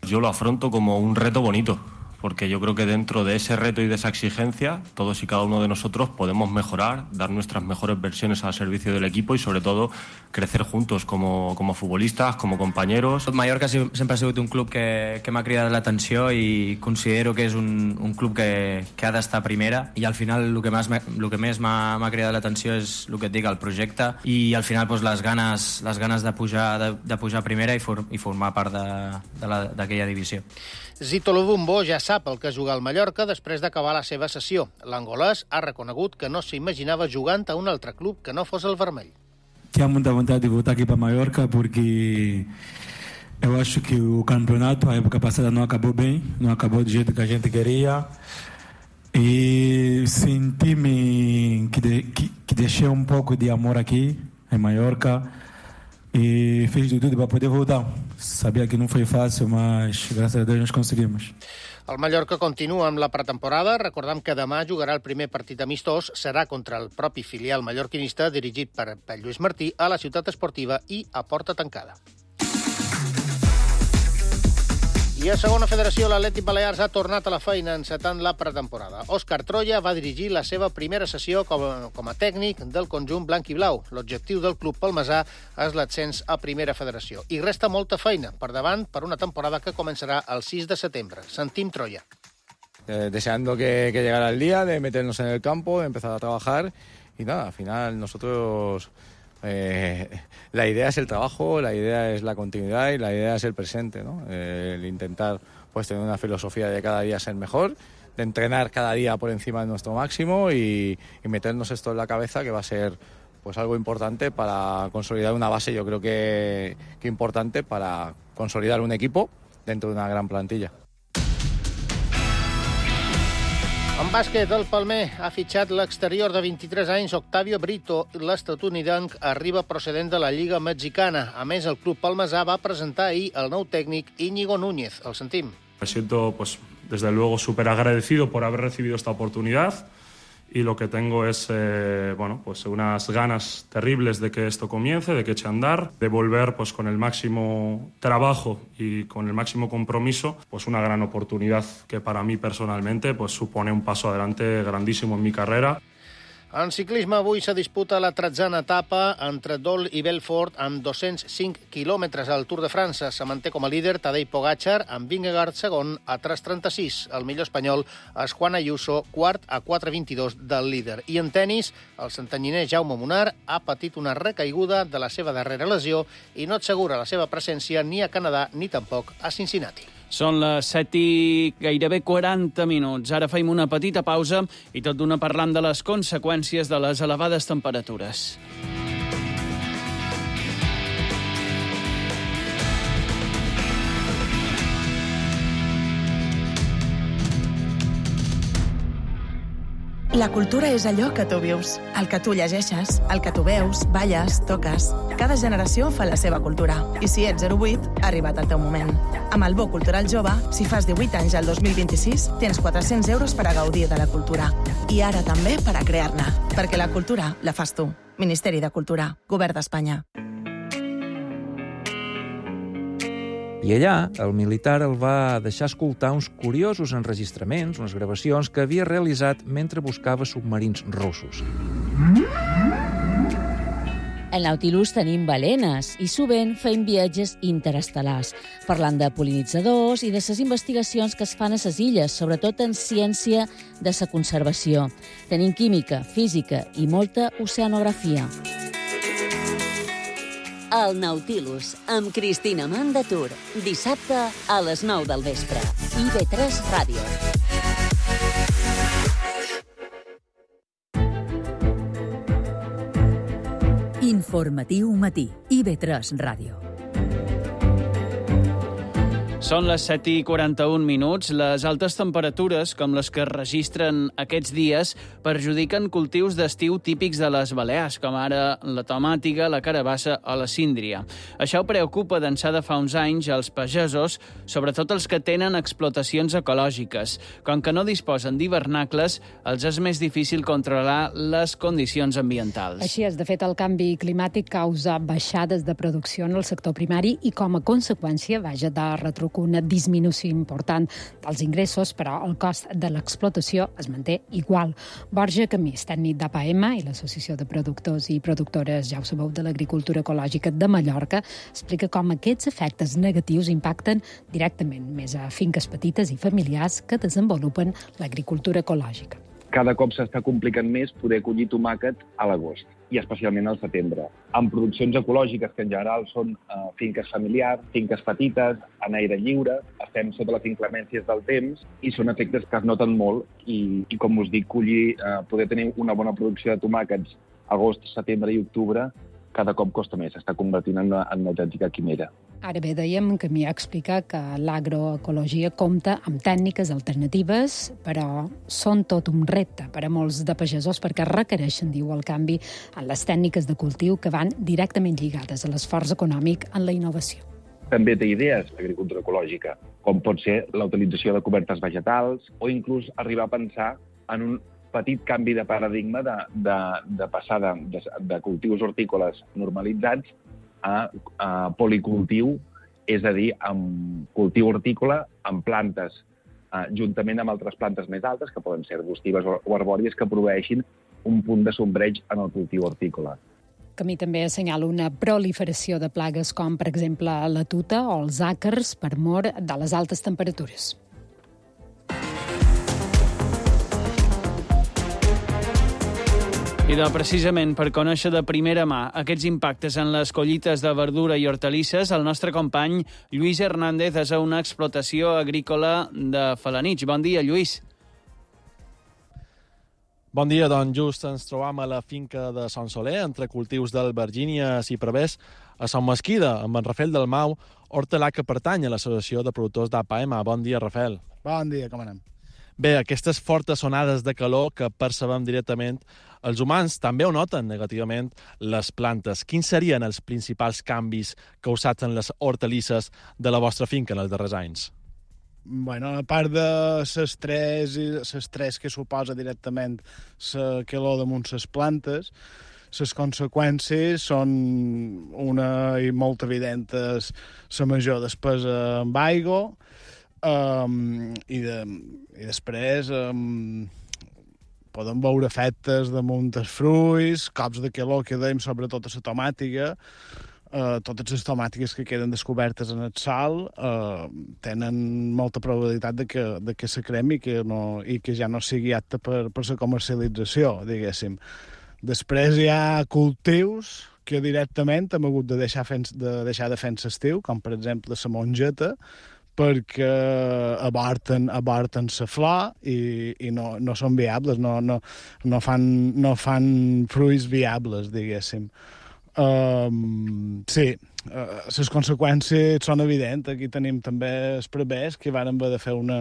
Yo lo afronto como un reto bonito, porque yo creo que dentro de ese reto y de esa exigencia, todos y cada uno de nosotros podemos mejorar, dar nuestras mejores versiones al servicio del equipo y, sobre todo, crecer juntos como, como futbolistas, como compañeros. Mallorca sempre ha sigut un club que, que m'ha cridat l'atenció i considero que és un, un club que, que ha d'estar a primera, i al final el que més, el que més m'ha, m'ha cridat l'atenció és el que et dic, el projecte, i al final doncs, les ganes, les ganes de pujar, de, de pujar a primera i, for, i formar part d'aquella divisió. Zito Lubumbo ja sap el que és jugar al Mallorca després d'acabar la seva sessió. L'angolès ha reconegut que no s'imaginava jugant a un altre club que no fos el vermell. Tinha muita vontade de voltar aqui para Mallorca porque eu acho que o campeonato, a época passada, não acabou bem, não acabou do jeito que a gente queria. E senti-me que, de, que, que deixei um pouco de amor aqui em Mallorca e fiz de tudo para poder voltar. Sabia que não foi fácil, mas graças a Deus nós conseguimos. El Mallorca continua amb la pretemporada. Recordem que demà jugarà el primer partit amistós. Serà contra el propi filial mallorquinista dirigit per, per Lluís Martí a la Ciutat Esportiva i a porta tancada. I a segona federació, l'Atlètic Balears ha tornat a la feina encetant la pretemporada. Òscar Troya va dirigir la seva primera sessió com a, com a tècnic del conjunt blanc i blau. L'objectiu del club palmesà és l'ascens a primera federació. I resta molta feina per davant per una temporada que començarà el sis de setembre. Sentim Troya. Eh, deseando que, que llegara el día de meternos en el campo, de empezar a trabajar y nada, al final nosotros... Eh, la idea es el trabajo, la idea es la continuidad y la idea es el presente, ¿no? Eh, el intentar pues tener una filosofía de cada día ser mejor, de entrenar cada día por encima de nuestro máximo y, y meternos esto en la cabeza, que va a ser pues algo importante para consolidar una base, yo creo que, que importante para consolidar un equipo dentro de una gran plantilla. En bàsquet, el Palmer ha fitxat l'exterior de vint-i-tres anys Octavio Brito. L'estatunidenc arriba procedent de la Lliga Mexicana. A més, el club palmesà va presentar ahir el nou tècnic Íñigo Núñez. El sentim. Me siento pues desde luego súper agradecido por haber recibido esta oportunidad y lo que tengo es eh, bueno, pues unas ganas terribles de que esto comience, de que eche a andar, de volver pues, con el máximo trabajo y con el máximo compromiso, pues una gran oportunidad que para mí personalmente pues, supone un paso adelante grandísimo en mi carrera. En ciclisme avui se disputa la tretzena etapa entre Dol i Belfort amb dos-cents cinc quilòmetres al Tour de França. Se manté com a líder Tadej Pogačar amb Vingegaard segon a tres trenta-sis. El millor espanyol és Juan Ayuso, quart a quatre vint-i-dos del líder. I en tennis, el santanyiner Jaume Munar ha patit una recaiguda de la seva darrera lesió i no assegura la seva presència ni a Canadà ni tampoc a Cincinnati. Són les set i gairebé quaranta minuts. Ara feim una petita pausa i tot d'una parlant de les conseqüències de les elevades temperatures. La cultura és allò que tu vius, el que tu llegeixes, el que tu veus, balles, toques. Cada generació fa la seva cultura. I si ets zero vuit, ha arribat el teu moment. Amb el Bo Cultural Jove, si fas divuit anys al dos mil vint-i-sis, tens quatre-cents euros per a gaudir de la cultura. I ara també per a crear-ne. Perquè la cultura la fas tu. Ministeri de Cultura, Govern d'Espanya. I allà, el militar el va deixar escoltar uns curiosos enregistraments, unes gravacions que havia realitzat mentre buscava submarins russos. Al Nautilus tenim balenes i sovint fem viatges interestel·lars, parlant de pol·linitzadors i de les investigacions que es fan a les illes, sobretot en ciència de la conservació. Tenim química, física i molta oceanografia. El Nautilus, amb Cristina Mandatur. Dissabte a les nou del vespre. I ve tres Ràdio. Informatiu matí. I ve tres Ràdio. Són les set i quaranta-un minuts. Les altes temperatures, com les que es registren aquests dies, perjudiquen cultius d'estiu típics de les Balears, com ara la tomàtiga, la carabassa o la síndria. Això preocupa d'ençà de fa uns anys als pagesos, sobretot els que tenen explotacions ecològiques. Com que no disposen d'hivernacles, els és més difícil controlar les condicions ambientals. Així és, de fet, el canvi climàtic causa baixades de producció en el sector primari i, com a conseqüència, vaja de retruc una disminució important dels ingressos, però el cost de l'explotació es manté igual. Borja Camís, tècnic d'A P A M i l'Associació de Productors i Productores, ja ho sabeu, de l'Agricultura Ecològica de Mallorca, explica com aquests efectes negatius impacten directament més a finques petites i familiars que desenvolupen l'agricultura ecològica. Cada cop s'està complicant més poder collir tomàquet a l'agost i especialment al setembre. En produccions ecològiques, que en general són eh, finques familiars, finques petites, en aire lliure, estem sota les inclemències del temps i són efectes que es noten molt i, i com us dic, collir, eh, poder tenir una bona producció de tomàquets agost, setembre i octubre cada cop costa més, s'està convertint en una, en una autèntica quimera. Ara bé, dèiem que m'hi explica que l'agroecologia compta amb tècniques alternatives, però són tot un repte per a molts de pagesos perquè requereixen, diu, el canvi en les tècniques de cultiu que van directament lligades a l'esforç econòmic en la innovació. També té idees l'agricultura ecològica, com pot ser la utilització de cobertes vegetals o inclús arribar a pensar en un petit canvi de paradigma de, de, de passar de, de, de cultius hortícoles normalitzats a, a policultiu, és a dir, amb cultiu hortícola amb plantes, eh, juntament amb altres plantes més altes, que poden ser arbustives o, o arbòries, que proveeixin un punt de sombreig en el cultiu hortícola. Camí també assenyala una proliferació de plagues com, per exemple, la tuta o els àcars per mor de les altes temperatures. I de, precisament per conèixer de primera mà aquests impactes en les collites de verdura i hortalisses, el nostre company Lluís Hernández és a una explotació agrícola de Felanitx. Bon dia, Lluís. Bon dia, doncs just ens trobam a la finca de Sant Soler, entre cultius d'albergínies i prevés, a Sant Mesquida, amb en Rafael Dalmau, hortelà que pertany a l'Associació de Productors d'A P A M. Bon dia, Rafael. Bon dia, com anem? Bé, aquestes fortes onades de calor que percebem directament, els humans també ho noten negativament les plantes. Quins serien els principals canvis causats en les hortalisses de la vostra finca en els darrers anys? Bueno, a part de les tres, les tres que suposa directament la calor damunt les plantes, les conseqüències són una i molt evidentes, la major despesa amb aigua, um, i, de, i després um, podem veure efectes damunt els fruits, cops de calor que dèiem, sobretot a la tomàtica. Uh, totes les tomàtiques que queden descobertes en el sòl uh, tenen molta probabilitat de que, de que se cremi i que, no, i que ja no sigui apta per, per la comercialització, diguéssim. Després hi ha cultius que directament hem hagut de deixar, fent, de, deixar de fer en l'estiu, com per exemple la mongeta, perquè avorten, avorten la flor i, i no, no són viables, no, no, no, fan, no fan fruits viables, diguéssim. Um, sí, uh, les conseqüències són evidents. Aquí tenim també els prevers que van haver de fer una,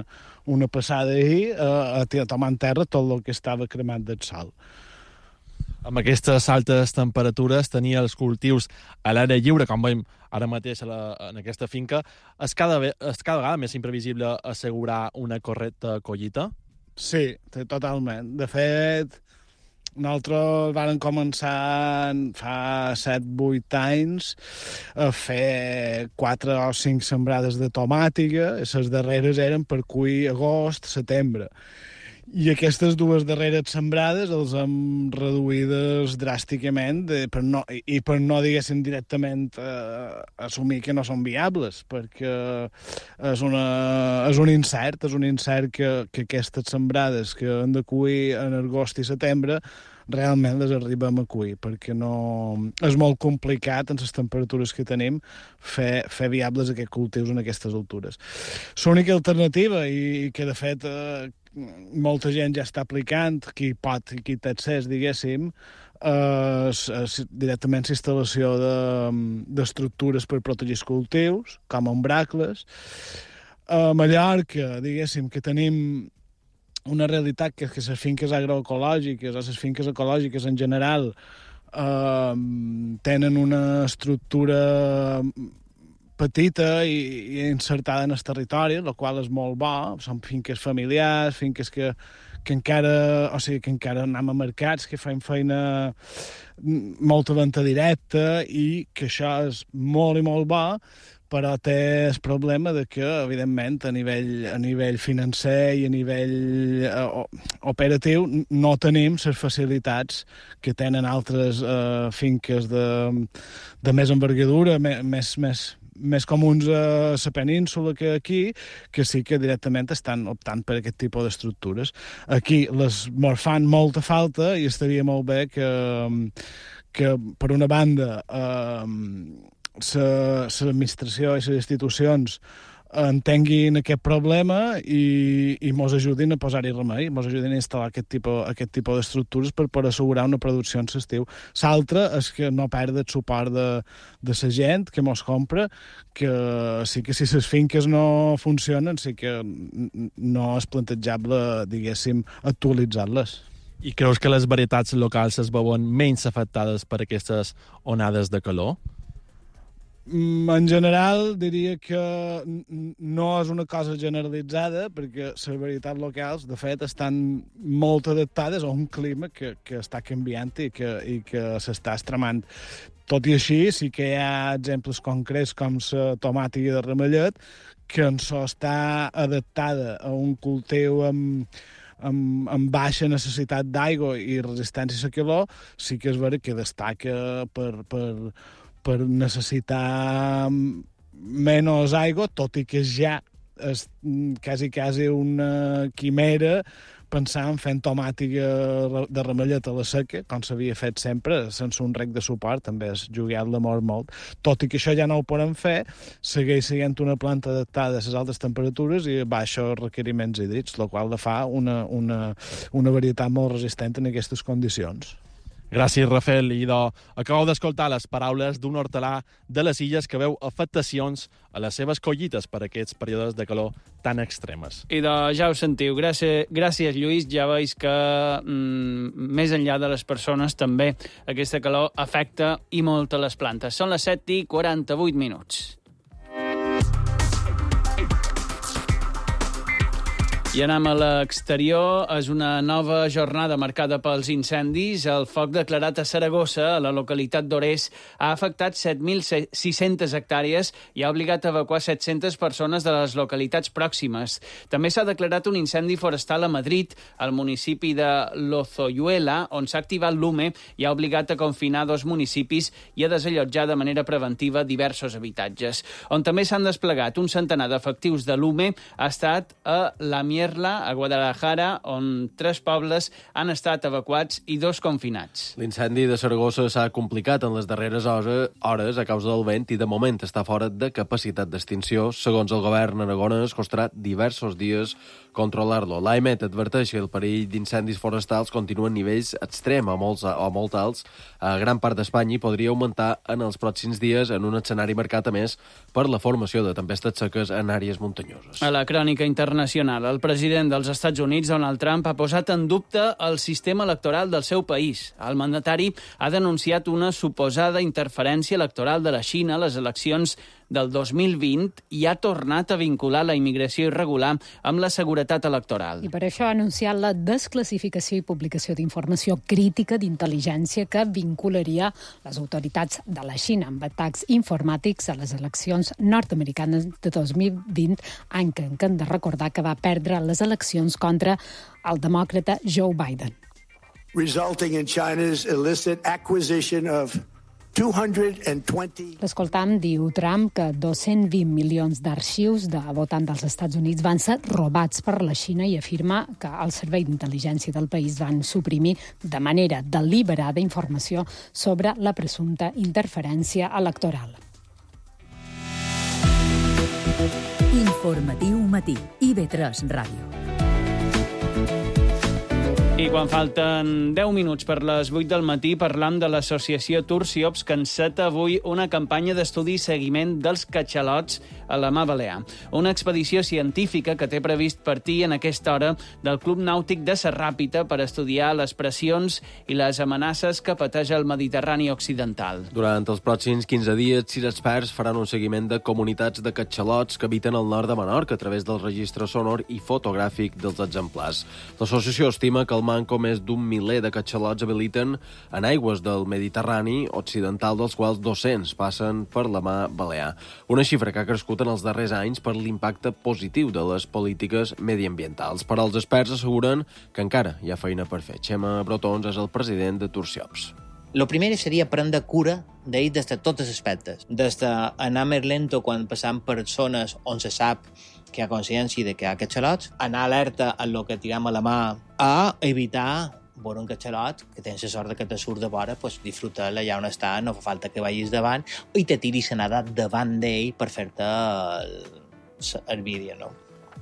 una passada ahir uh, a tomar en terra tot el que estava cremat del sol. Amb aquestes altes temperatures, tenir els cultius a l'aire lliure, com veiem ara mateix a la, en aquesta finca, és cada, és cada vegada més imprevisible assegurar una correcta collita? Sí, totalment. De fet, nosaltres vam començar fa set vuit anys a fer quatre o cinc sembrades de tomàtica, i les darreres eren per cuir agost, setembre. I aquestes dues darreres sembrades els hem reduïdes dràsticament de, per no, i, i per no, diguéssim, directament eh, assumir que no són viables, perquè és, una, és un incert, és un incert que, que aquestes sembrades que han de cuir en agost i setembre realment les arribem a cuir, perquè no... és molt complicat, en les temperatures que tenim, fer, fer viables aquests cultius en aquestes altures. L'única alternativa, i que de fet eh, molta gent ja està aplicant, qui pot i qui té accés, diguéssim, eh, és, és directament la instal·lació d'estructures per protegir els cultius, com ombracles. A Mallorca, diguéssim, que tenim una realitat que és que les finques agroecològiques o les finques ecològiques en general eh, tenen una estructura petita i, i insertada en el territori, la qual és molt bo. Són finques familiars, finques que, que encara, o sigui, que encara anem a mercats, que fem feina molta venda directa i que això és molt i molt bo, però té el problema de que, evidentment, a nivell, a nivell financer i a nivell uh, operatiu no tenim les facilitats que tenen altres uh, finques de, de més envergadura, més, més, més comuns a la península que aquí, que sí que directament estan optant per aquest tipus d'estructures. Aquí les mos fan molta falta i estaria molt bé que, que per una banda, eh, l'administració i les institucions entenguin aquest problema i, i mos ajudin a posar-hi remei, mos ajudin a instal·lar aquest tipus, aquest tipus d'estructures per, per assegurar una producció en l'estiu. L'altre és que no perd el suport de, de la gent que mos compra, que sí que si les finques no funcionen, sí que no és plantejable, diguéssim, actualitzar-les. I creus que les varietats locals es veuen menys afectades per aquestes onades de calor? En general, diria que no és una cosa generalitzada, perquè les varietats locals, de fet, estan molt adaptades a un clima que, que està canviant i que, i que s'està extremant. Tot i així, sí que hi ha exemples concrets com la tomàtica de ramellet, que en so està adaptada a un cultiu amb, amb, amb baixa necessitat d'aigua i resistència a la calor, sí que és vera que destaca per... per per necessitar menys aigua, tot i que ja és quasi, quasi una quimera pensar en fent tomàtica de ramellet a la seca, com s'havia fet sempre, sense un rec de suport, també és jugat l'amor molt. Tot i que això ja no ho podem fer, segueix sent una planta adaptada a les altes temperatures i a baixos requeriments hídrics, la qual la fa una, una, una varietat molt resistent en aquestes condicions. Gràcies, Rafael. I de, acabeu d'escoltar les paraules d'un hortelà de les Illes que veu afectacions a les seves collites per aquests períodes de calor tan extremes. I de, ja ho sentiu. Gràcies, gràcies Lluís. Ja veus que mm, més enllà de les persones també aquesta calor afecta i molt a les plantes. Són les set i quaranta-vuit minuts. I anem a l'exterior. És una nova jornada marcada pels incendis. El foc declarat a Saragossa, a la localitat d'Ores, ha afectat set mil sis-centes hectàrees i ha obligat a evacuar set-centes persones de les localitats pròximes. També s'ha declarat un incendi forestal a Madrid, al municipi de Lozoyuela, on s'ha activat l'UME i ha obligat a confinar dos municipis i a desallotjar de manera preventiva diversos habitatges. On també s'han desplegat un centenar d'efectius de l'UME ha estat a la Mierla, a Guadalajara, on tres pobles han estat evacuats i dos confinats. L'incendi de Saragossa s'ha complicat en les darreres hores a causa del vent i de moment està fora de capacitat d'extinció. Segons el govern aragonès, costarà diversos dies controlar-lo. L'AEMET adverteix que el perill d'incendis forestals continua en nivells extrem o molt, o molt alts a gran part d'Espanya i podria augmentar en els pròxims dies en un escenari marcat, a més, per la formació de tempestes seques en àrees muntanyoses. A la crònica internacional, el president dels Estats Units, Donald Trump, ha posat en dubte el sistema electoral del seu país. El mandatari ha denunciat una suposada interferència electoral de la Xina a les eleccions del dos mil vint i ha tornat a vincular la immigració irregular amb la seguretat electoral. I per això ha anunciat la desclassificació i publicació d'informació crítica d'intel·ligència que vincularia les autoritats de la Xina amb atacs informàtics a les eleccions nord-americanes de dos mil vint, any que hem de recordar que va perdre les eleccions contra el demòcrata Joe Biden. Resulting in China's illicit acquisition of two hundred twenty... L'escoltam diu Trump que dos-cents vint milions d'arxius de votants dels Estats Units van ser robats per la Xina i afirma que el servei d'intel·ligència del país van suprimir de manera deliberada informació sobre la presumpta interferència electoral. Informatiu matí. I V tres Ràdio. I quan falten deu minuts per les vuit del matí, parlam de l'associació Tursiops, que enceta avui una campanya d'estudi i seguiment dels catxalots a la Mar Balear. Una expedició científica que té previst partir en aquesta hora del Club Nàutic de Serràpita per estudiar les pressions i les amenaces que pateix el Mediterrani occidental. Durant els pròxims quinze dies, sis experts faran un seguiment de comunitats de catxalots que habiten al nord de Menorca a través del registre sonor i fotogràfic dels exemplars. L'associació estima que el manco més d'un miler de catxalots habiliten en aigües del Mediterrani occidental, dels quals dos-cents passen per la Mar Balear. Una xifra que ha crescut en els darrers anys per l'impacte positiu de les polítiques mediambientals. Però els experts asseguren que encara hi ha feina per fer. Xema Brotons és el president de Tursiops. Lo primer seria prendre cura d'ell des de tots els aspectes. Des d'anar més lento quan passam per zones on se sap que hi ha consciència de que hi ha catxalots, anar alerta en el que tirem a la mà, a evitar veure un catxalot que tens la sort de que te surt de vora, pues, disfrutar-la allà on està, no fa falta que vagis davant i te tiris a nedar davant d'ell per fer-te el, el vídeo, no?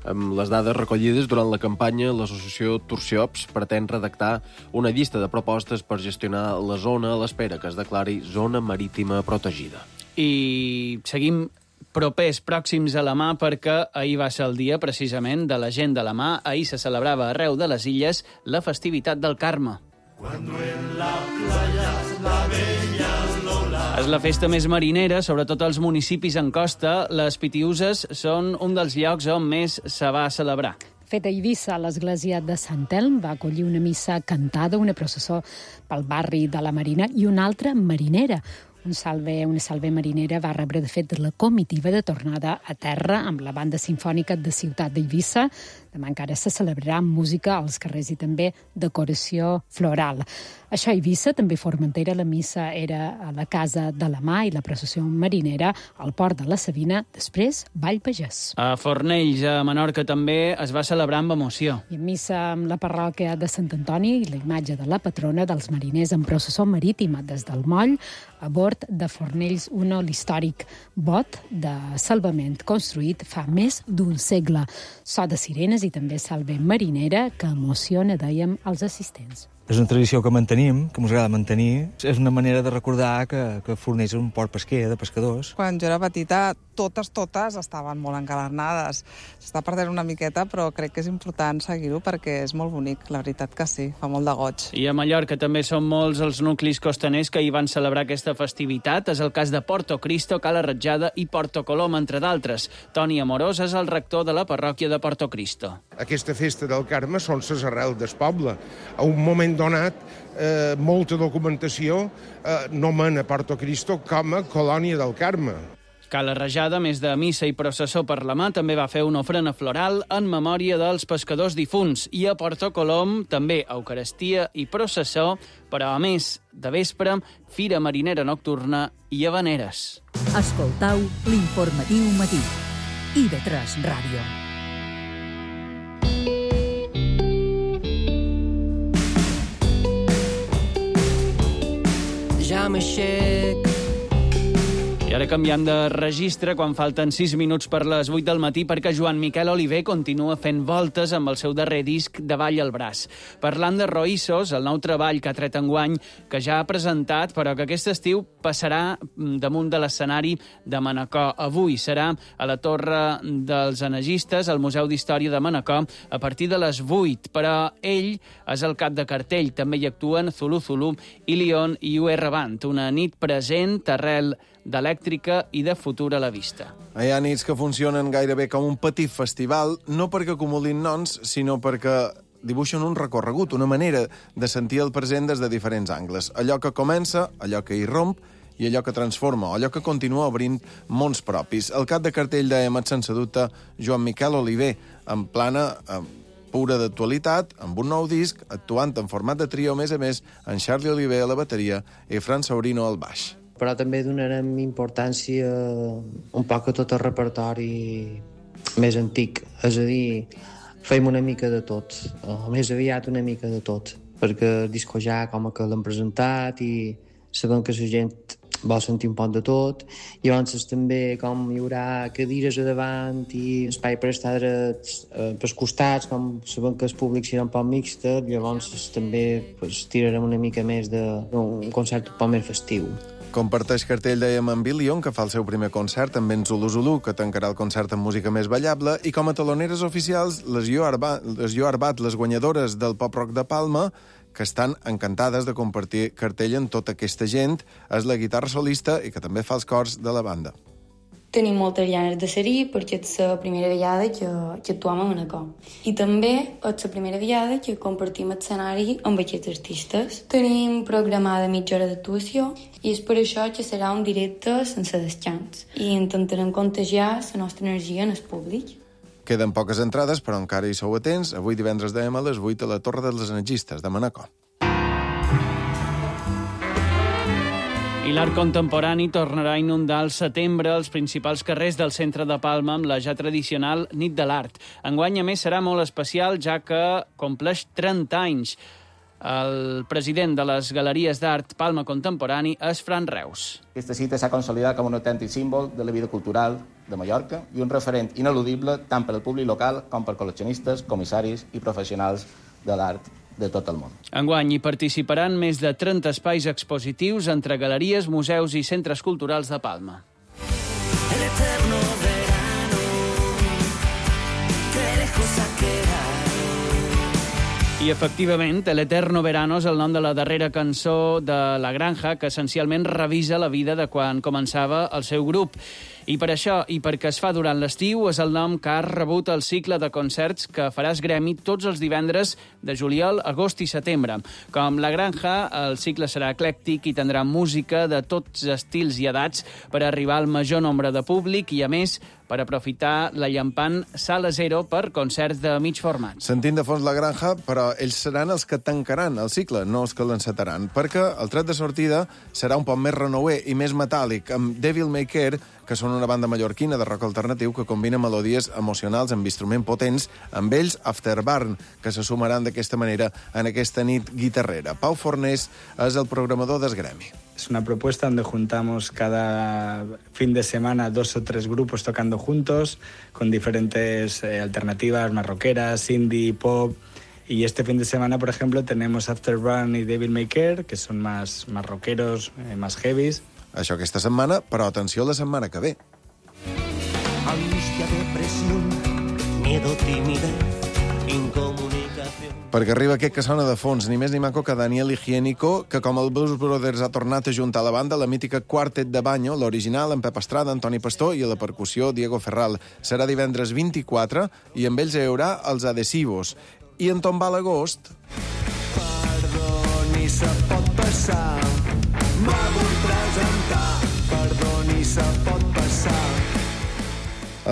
Amb les dades recollides durant la campanya, l'associació Tursiops pretén redactar una llista de propostes per gestionar la zona a l'espera que es declari zona marítima protegida. I seguim propers, pròxims a la Mar, perquè ahir va ser el dia, precisament, de la gent de la Mar. Ahir se celebrava arreu de les illes la festivitat del Carme. Cuando en la playa la bella Lola. És la festa més marinera, sobretot als municipis en costa. Les Pitiuses són un dels llocs on més se va celebrar. Fet a Eivissa, l'església de Sant Elm va acollir una missa cantada, una processó pel barri de la Marina i una altra marinera. Un salve, una salve marinera va rebre, de fet, la comitiva de tornada a terra amb la banda sinfònica de Ciutat d'Eivissa. Demà encara se celebrarà amb música als carrers i també decoració floral. Això a Eivissa, també Formentera, la missa era a la Casa de la Mar i la processió marinera al port de la Sabina, després Vall Pagès. A Fornells, a Menorca, també es va celebrar amb emoció. I en missa amb la parròquia de Sant Antoni i la imatge de la patrona dels mariners en processó marítima des del moll a bord de Fornells uno, l'històric bot de salvament construït fa més d'un segle. So de sirenes i també salve marinera que emociona, dèiem, als assistents. És una tradició que mantenim, que ens agrada mantenir. És una manera de recordar que, que Fornells és un port pesquer, de pescadors. Quan jo era petita, totes, totes estaven molt engalanades. S'està perdent una miqueta, però crec que és important seguir-ho perquè és molt bonic, la veritat que sí, fa molt de goig. I a Mallorca també són molts els nuclis costaners que hi van celebrar aquesta festivitat. És el cas de Porto Cristo, Cala Ratjada i Porto Colom, entre d'altres. Toni Amorós és el rector de la parròquia de Porto Cristo. Aquesta festa del Carme són les arrels del poble. A un moment donat, eh, molta documentació eh, nomena Porto Cristo com a colònia del Carme. Cala Rajada, a més de missa i processó per la mà, també va fer una ofrena floral en memòria dels pescadors difunts. I a Porto Colom també eucaristia i processó, però a més de vespre, fira marinera nocturna i havaneres. Escoltau l'informatiu matí. I ve tres Ràdio. Ja m'aixec. I ara canviant de registre quan falten sis minuts per les vuit del matí perquè Joan Miquel Oliver continua fent voltes amb el seu darrer disc de Ball al braç. Parlant de Roïssos, el nou treball que ha tret enguany, que ja ha presentat, però que aquest estiu passarà damunt de l'escenari de Manacor. Avui serà a la Torre dels Enegistes, al Museu d'Història de Manacor, a partir de les vuit, però ell és el cap de cartell. També hi actuen Zulu Zulu, Ilion i U R Band, una nit present arrel d'elèctrica i de futur a la vista. Hi ha nits que funcionen gairebé com un petit festival, no perquè acumulin noms, sinó perquè dibuixen un recorregut, una manera de sentir el present des de diferents angles. Allò que comença, allò que irromp i allò que transforma, allò que continua obrint mons propis. El cap de cartell d'Emet, sense dubte, Joan Miquel Oliver, en plana eh, pura d'actualitat, amb un nou disc, actuant en format de trio, a més a més, en Charlie Oliver a la bateria i Fran Saurino al baix. Però també donarem importància un poc a tot el repertori més antic. És a dir, fem una mica de tot, o més aviat una mica de tot, perquè el disco ja com que l'hem presentat i sabem que la gent vol sentir un poc de tot. Llavors també com hi haurà cadires a davant i espai per estar drets eh, pels costats, com sabem que el públic serà un poc mixta, llavors també pues, tirarem una mica més d'un concert un poc més festiu. Comparteix cartell, dèiem, amb Ilion, que fa el seu primer concert, amb en Zulu Zulu, que tancarà el concert amb música més ballable, i com a taloneres oficials, les Jo Arbat, les, Jo Arbat, les guanyadores del Pop Rock de Palma, que estan encantades de compartir cartell amb tota aquesta gent, és la guitarra solista i que també fa els cors de la banda. Tenim moltes ganes de ser-hi perquè és la primera vegada que, que actuem a Manacor. I també és la primera vegada que compartim escenari amb aquests artistes. Tenim programada mitja hora d'actuació i és per això que serà un directe sense descans. I intentarem contagiar la nostra energia en el públic. Queden poques entrades, però encara hi sou atents. Avui divendres dèiem a les vuit a la Torre dels Enegistes de Manacor. I l'art contemporani tornarà a inundar al setembre els principals carrers del centre de Palma amb la ja tradicional Nit de l'Art. Enguany, a més, serà molt especial, ja que compleix trenta anys. El president de les Galeries d'Art Palma Contemporani és Fran Reus. Aquesta cita s'ha consolidat com un autèntic símbol de la vida cultural de Mallorca i un referent ineludible tant per al públic local com per col·leccionistes, comissaris i professionals de l'art de tot el món. Enguany hi participaran més de trenta espais expositius entre galeries, museus i centres culturals de Palma. El eterno verano, que lejos ha quedado. I efectivament, El eterno verano és el nom de la darrera cançó de La Granja, que essencialment revisa la vida de quan començava el seu grup. I per això, i perquè es fa durant l'estiu, és el nom que ha rebut el cicle de concerts que faràs Gremi tots els divendres de juliol, agost i setembre. Com La Granja, el cicle serà eclèctic i tindrà música de tots estils i edats per arribar al major nombre de públic i, a més, per aprofitar la llampant Sala Zero per concerts de mig format. Sentint de fons La Granja, però ells seran els que tancaran el cicle, no els que l'encetaran, perquè el tret de sortida serà un poc més renouer i més metàl·lic, amb Devil May Care, que són una banda mallorquina de rock alternatiu que combina melodies emocionals amb instruments potents, amb ells Afterburn, que se sumaran d'aquesta manera en aquesta nit guitarrera. Pau Fornés és el programador d'Esgremi. Es una propuesta donde juntamos cada fin de semana dos o tres grupos tocando juntos, con diferentes eh, alternativas, más rockeras, indie, pop, Y este fin de semana, por ejemplo, tenemos Afterburn y Devil May Care, que son más, más rockeros, eh, más heavies. Això aquesta setmana, però atenció a la setmana que ve. Angustia, depresión, miedo, timidez, incomunicación. Perquè arriba aquest que sona de fons, ni més ni manco que Daniel Higiénico, que com el Blues Brothers ha tornat a juntar a la banda la mítica Quartet de Banyo, l'original amb Pep Estrada, Antoni Pastor i a la percussió Diego Ferral. Serà divendres vint-i-quatre i amb ells hi haurà els Adhesivos. I en tombar l'agost... Perdoni, se pot passar, me vull presentar, perdoni, se pot passar.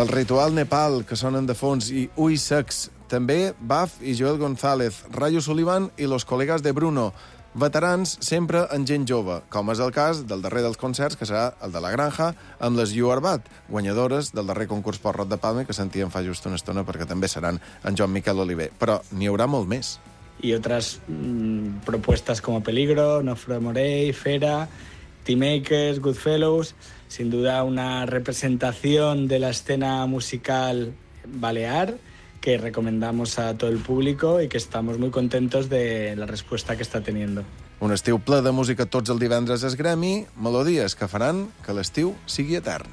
El Ritual Nepal, que sonen de fons, i Ui Sex. També Baf i Joel González, Rayo Sullivan i Los Colegas de Bruno. Veterans sempre en gent jove, com és el cas del darrer dels concerts, que serà el de la Granja, amb les You Are Bad, guanyadores del darrer concurs Porrot de Palma, que sentíem fa just una estona, perquè també seran en Joan Miquel Oliver. Però n'hi haurà molt més. Y otras mmm, propuestas como Peligro, Nofre Morey, Fera, Teamakers, Goodfellows. Sin duda una representación de la escena musical balear que recomendamos a todo el público y que estamos muy contentos de la respuesta que está teniendo. Un estiu ple de música tots el divendres es gremi, melodies que faran que l'estiu sigui etern.